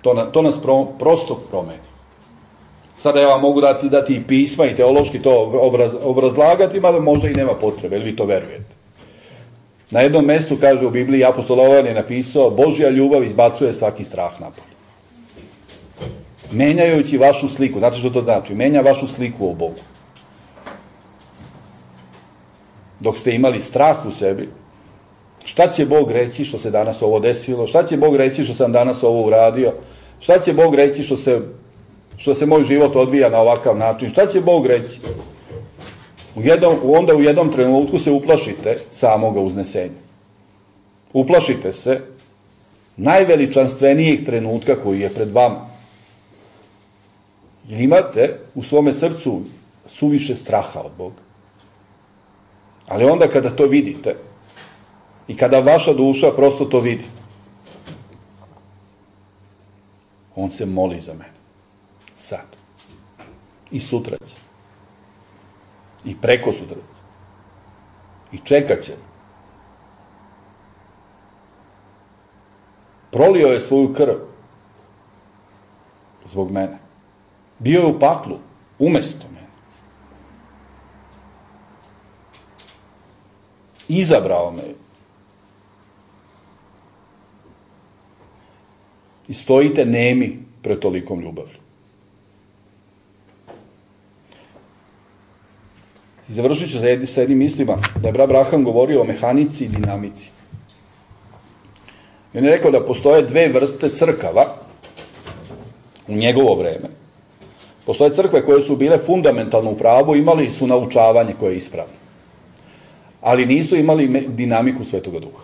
to, na, to nas pro, prosto promeni. Sada ja vam mogu dati, dati i pisma i teološki to obraz, obrazlagati, mada možda i nema potrebe, jer vi to verujete. Na jednom mestu, kaže u Bibliji, apostol Jovan je napisao, Božja ljubav izbacuje svaki strah napolje. Menjajući vašu sliku, znate što to znači? Menja vašu sliku o Bogu. Dok ste imali strah u sebi, šta će Bog reći što se danas ovo desilo? Šta će Bog reći što sam danas ovo uradio? Šta će Bog reći što se, što se moj život odvija na ovakav način? Šta će Bog reći? U jednom, onda u jednom trenutku se uplašite samoga uznesenja. Uplašite se najveličanstvenijeg trenutka koji je pred vama. Jer imate u svome srcu suviše straha od Boga. Ali onda kada to vidite i kada vaša duša prosto to vidi, on se moli za mene. Sad. I sutra će. I preko sutra će. I čekat će. Prolio je svoju krv zbog mene. Bio je u paklu umjesto mene. Izabrao me. I stojite nemi pred tolikom ljubavlju. I završit ću sa jednim mislima da je brat Abraham govorio o mehanici i dinamici. I on je rekao da postoje dve vrste crkava u njegovo vreme. Postoje crkve koje su bile fundamentalno u pravu, imali su naučavanje koje je ispravno. Ali nisu imali dinamiku Svetoga Duha.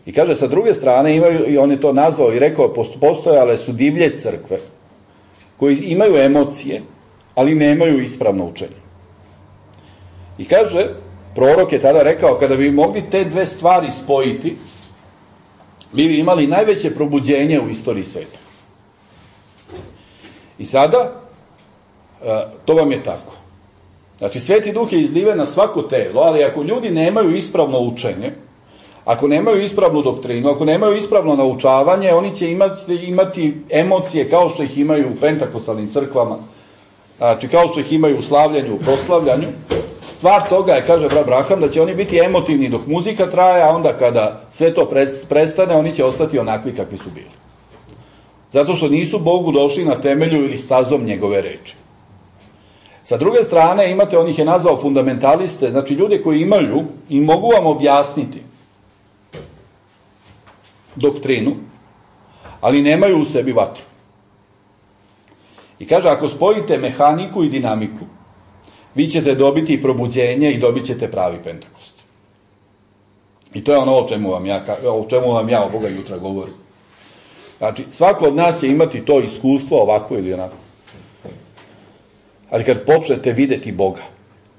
I kaže, sa druge strane, imaju, i on je to nazvao i rekao, postojale su divlje crkve koji imaju emocije, ali nemaju ispravno učenje. I kaže, prorok je tada rekao, kada bi mogli te dve stvari spojiti, mi bi imali najveće probuđenje u istoriji sveta. I sada, to vam je tako. Znači, Sveti Duh je izliven na svako telo, ali ako ljudi nemaju ispravno učenje, ako nemaju ispravnu doktrinu, ako nemaju ispravno naučavanje, oni će imati, imati emocije kao što ih imaju u pentakostalnim crkvama, znači kao što ih imaju u slavljanju, u proslavljanju. Stvar toga je, kaže brat Abraham, da će oni biti emotivni dok muzika traje, a onda kada sve to prestane, oni će ostati onakvi kakvi su bili. Zato što nisu Bogu došli na temelju ili stazom njegove reči. Sa druge strane, imate, on ih je nazvao fundamentaliste, znači ljude koji imaju i mogu vam objasniti doktrinu, ali nemaju u sebi vatru. I kaže, ako spojite mehaniku i dinamiku, vi ćete dobiti probuđenje i dobit ćete pravi Pentekost. I to je ono o čemu vam ja, o čemu vam ja ovoga jutra govorim. Znači, svako od nas će imati to iskustvo ovako ili onako. Ali kad počnete videti Boga,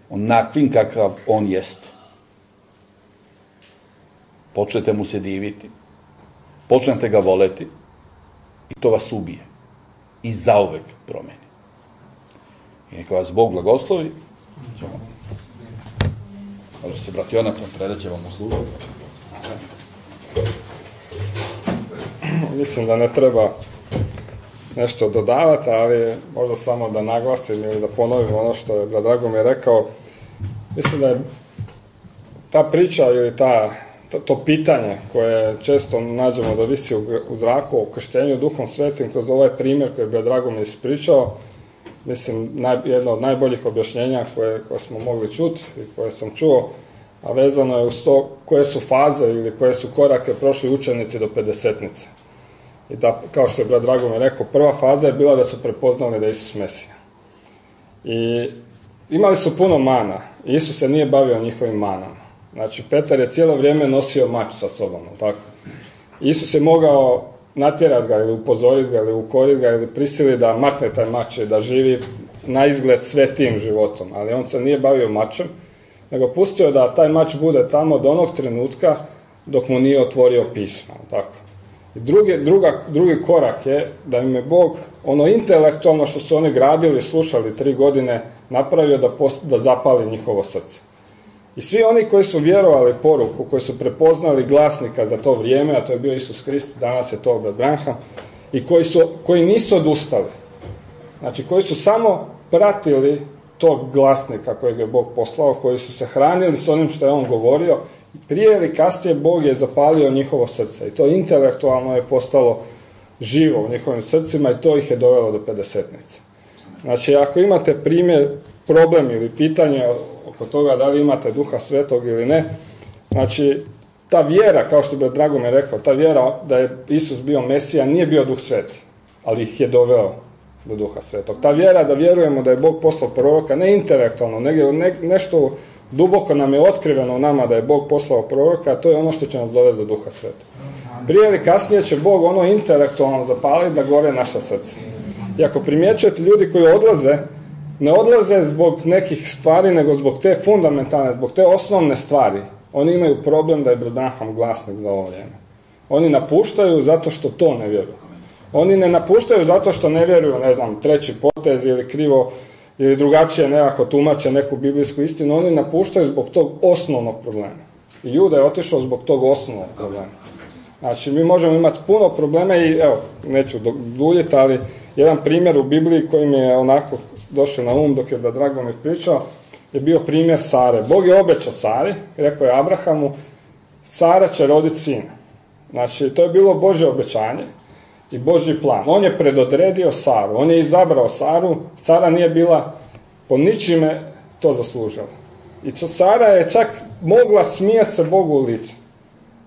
onakvim kakav on jeste, počnete mu se diviti, počnete ga voleti i to vas ubije i zauvek promeni. I neka vas Bog blagoslovi. Ćemo. Može se brat Jonatan, predat će vam u službu. Mislim da ne treba nešto dodavati, ali možda samo da naglasim ili da ponovim ono što je brat Dragomir rekao. Mislim da je ta priča ili ta, to, to pitanje koje često nađemo da visi u, u zraku o krštenju Duhom Svetim kroz ovaj primjer koji je brat Dragomir ispričao, mislim naj, jedno od najboljih objašnjenja koje, koje smo mogli čuti i koje sam čuo, a vezano je uz to koje su faze ili koje su korake prošli učenici do pedesetnice. I da, kao što je brat Dragomir rekao, prva faza je bila da su prepoznali da je Isus Mesija. I imali su puno mana. Isus se nije bavio njihovim manama. Znači, Petar je cijelo vrijeme nosio mač sa sobom, tako? Isus je mogao natjerati ga ili upozoriti ga ili ukoriti ga ili prisiliti da makne taj mač i da živi na izgled svetim životom. Ali on se nije bavio mačem, nego pustio da taj mač bude tamo do onog trenutka dok mu nije otvorio pismo, tako? I drugi, druga, drugi korak je da im je Bog ono intelektualno što su oni gradili, slušali tri godine, napravio da, post, da zapali njihovo srce. I svi oni koji su vjerovali poruku, koji su prepoznali glasnika za to vrijeme, a to je bio Isus Krist, danas je to brat Branham, i koji, su, koji nisu odustali. Znači, koji su samo pratili tog glasnika kojeg je Bog poslao, koji su se hranili s onim što je on govorio, prije ili kasnije Bog je zapalio njihovo srce i to intelektualno je postalo živo u njihovim srcima i to ih je dovelo do pedesetnice. Znači, ako imate primjer, problem ili pitanje oko toga da li imate Duha Svetog ili ne, znači, ta vjera, kao što bi Dragomir rekao, ta vjera da je Isus bio Mesija nije bio Duh Sveti, ali ih je doveo do Duha Svetog. Ta vjera da vjerujemo da je Bog poslao proroka, ne intelektualno, nego ne, nešto duboko nam je otkriveno u nama da je Bog poslao proroka, a to je ono što će nas dovesti do Duha Svetog. Prije ili kasnije će Bog ono intelektualno zapaliti da gore naša srca. I ako primjećujete ljudi koji odlaze, ne odlaze zbog nekih stvari, nego zbog te fundamentalne, zbog te osnovne stvari. Oni imaju problem da je brat Branham glasnik za ovo vrijeme. Oni napuštaju zato što to ne vjeruju. Oni ne napuštaju zato što ne vjeruju, ne znam, treći potez ili krivo ili drugačije nekako tumače neku biblijsku istinu, oni napuštaju zbog tog osnovnog problema. I Juda je otišao zbog tog osnovnog problema. Znači, mi možemo imati puno problema i, evo, neću duljiti, ali jedan primjer u Bibliji koji mi je onako došao na um dok je da Dragomir pričao, je bio primjer Sare. Bog je obećao Sari, rekao je Abrahamu, Sara će roditi sina. Znači, to je bilo Božje obećanje i Božji plan. On je predodredio Saru, on je izabrao Saru, Sara nije bila po ničime to zaslužila. I Sara je čak mogla smijati se Bogu u lice.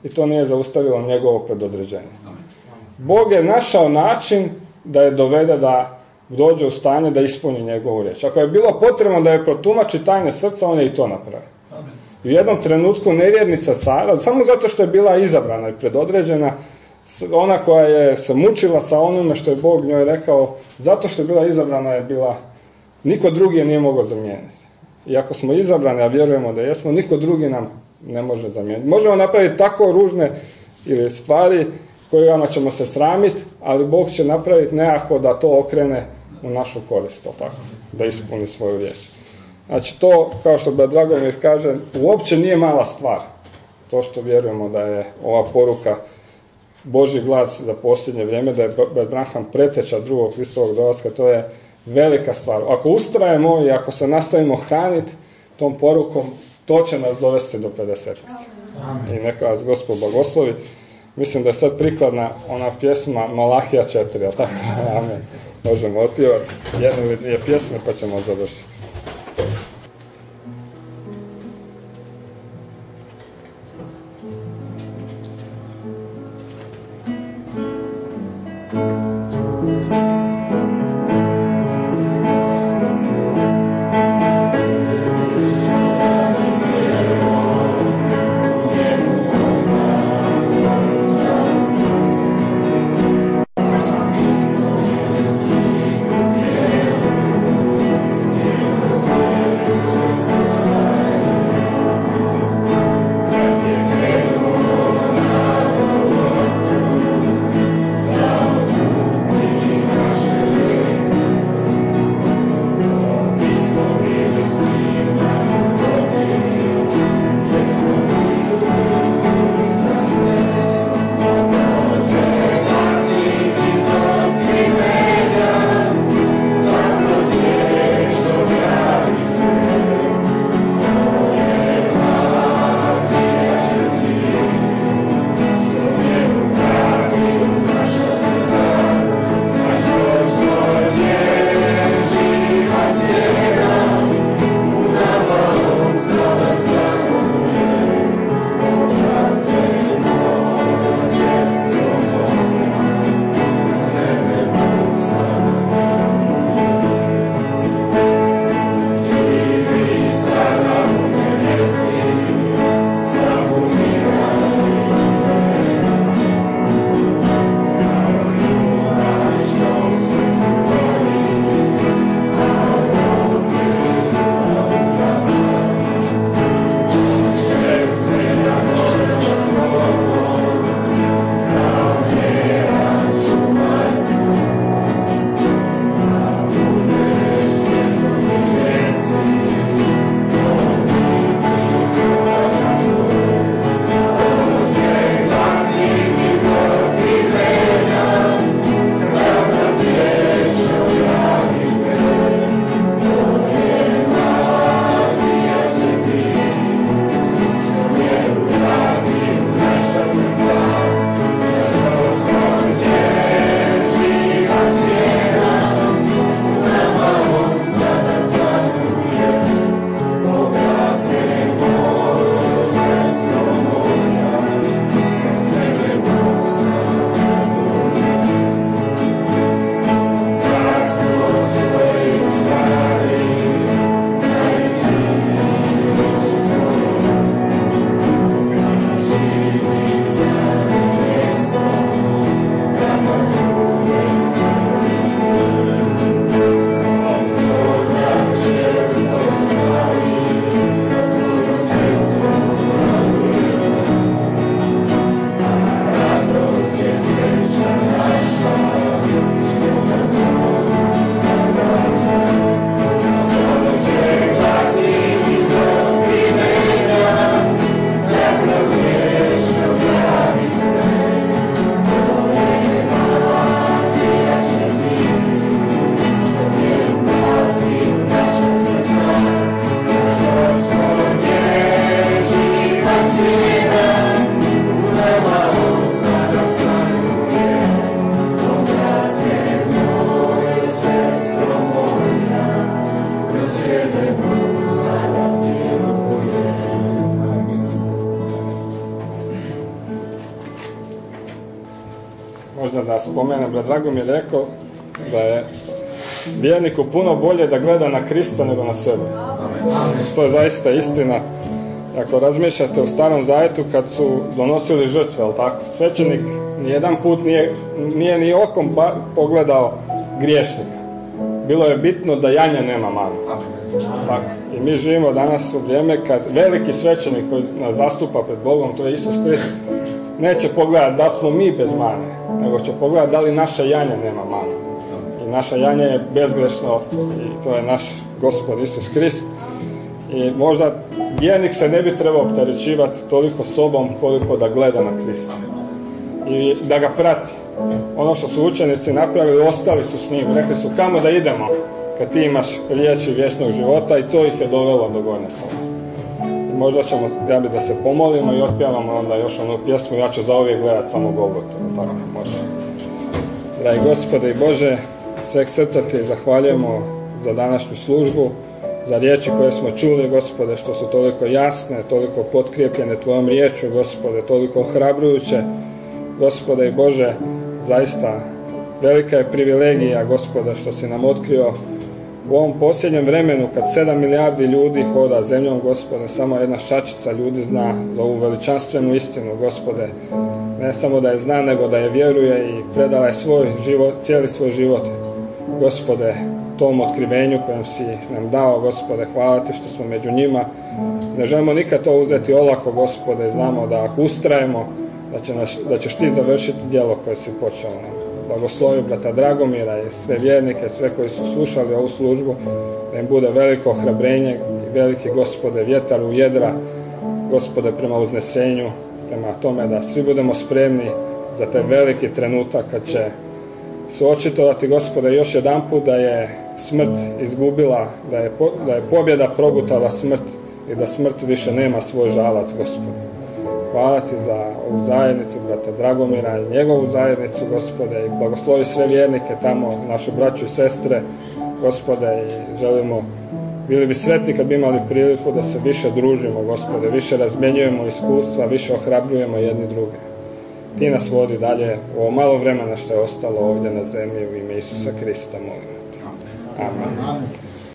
I to nije zaustavilo njegovo predodređenje. Bog je našao način da je dovede da dođe u stanje da ispuni njegovu riječ. Ako je bilo potrebno da je protumači tajne srca, on je i to napravio. I u jednom trenutku nevjernica Sara, samo zato što je bila izabrana i predodređena, ona koja je se mučila sa onome što je Bog njoj rekao, zato što je bila izabrana je bila, niko drugi je nije mogao zamijeniti. I ako smo izabrani, a vjerujemo da jesmo, niko drugi nam ne može zamijeniti. Možemo napraviti tako ružne ili stvari kojima ćemo se sramiti, ali Bog će napraviti nekako da to okrene u našu korist, tako, da ispuni svoju riječ. Znači to, kao što brat Dragomir kaže, uopće nije mala stvar. To što vjerujemo da je ova poruka Božji glas za posljednje vrijeme, da je brat Branham preteča drugog Hristovog dolaska, to je velika stvar. Ako ustrajemo i ako se nastavimo hraniti tom porukom, to će nas dovesti do pedesetnice. I neka vas Gospod blagoslovi. Mislim da je sad prikladna ona pjesma Malahija četiri, ali tako? Amen. Možemo otpjevati jednu ili dvije pjesme pa ćemo završiti. Thank you. možda da spomenem, brat Dragomir je rekao da je vjerniku puno bolje da gleda na Krista nego na sebe. To je zaista istina. Ako razmišljate u Starom Zavjetu kad su donosili žrtve, ali tako, svećenik nijedan put nije, nije ni okom pogledao griješnika. Bilo je bitno da janja nema mane. Tako. I mi živimo danas u vrijeme kad veliki svećenik koji nas zastupa pred Bogom, to je Isus Krist, neće pogledati da smo mi bez mane, nego će pogledati da li naša janja nema mane. I naša janja je bezgrešno i to je naš Gospod Isus Krist. I možda vjernik se ne bi trebao opterećivati toliko sobom koliko da gleda na Krista i da ga prati. Ono što su učenici napravili, ostali su s njim, rekli su kamo da idemo kad ti imaš riječi vječnog života, i to ih je dovelo do gornje sobe. I možda ćemo, ja bi da se pomolimo i otpjevamo onda još onu pjesmu, ja ću zauvijek gledati samo Golgotu. Tako može. Dragi Gospode i Bože, sveg srca ti zahvaljujemo za današnju službu, za riječi koje smo čuli, Gospode, što su toliko jasne, toliko potkrijepljene tvojom riječju, Gospode, toliko ohrabrujuće. Gospode i Bože, zaista velika je privilegija, Gospode, što si nam otkrio u ovom posljednjem vremenu kad sedam milijardi ljudi hoda zemljom, Gospode, samo jedna šačica ljudi zna za ovu veličanstvenu istinu, Gospode. Ne samo da je zna, nego da je vjeruje i predala je svoj život, cijeli svoj život, Gospode, tom otkrivenju kojem si nam dao, Gospode. Hvala ti što smo među njima. Ne želimo nikad to uzeti olako, Gospode. Znamo da ako ustrajemo, da, će naš, da ćeš ti završiti djelo koje si počeo nam. Blagoslovi brata Dragomira i sve vjernike, sve koji su slušali ovu službu, da im bude veliko ohrabrenje i veliki, Gospode, vjetar u jedra, Gospode, prema uznesenju, prema tome da svi budemo spremni za taj veliki trenutak kad će se očitovati, Gospode, još jedan put da je smrt izgubila, da je, po, da je pobjeda progutala smrt i da smrt više nema svoj žalac, Gospode. Hvala ti za ovu zajednicu brata Dragomira i njegovu zajednicu, Gospode, i blagoslovi sve vjernike tamo, našu braću i sestre, Gospode, i želimo, bili bi sretni kad bi imali priliku da se više družimo, Gospode, više razmjenjujemo iskustva, više ohrabrujemo jedni druge. Ti nas vodi dalje u ovo malo vremena što je ostalo ovdje na zemlji, u ime Isusa Krista, molimo te. Amen.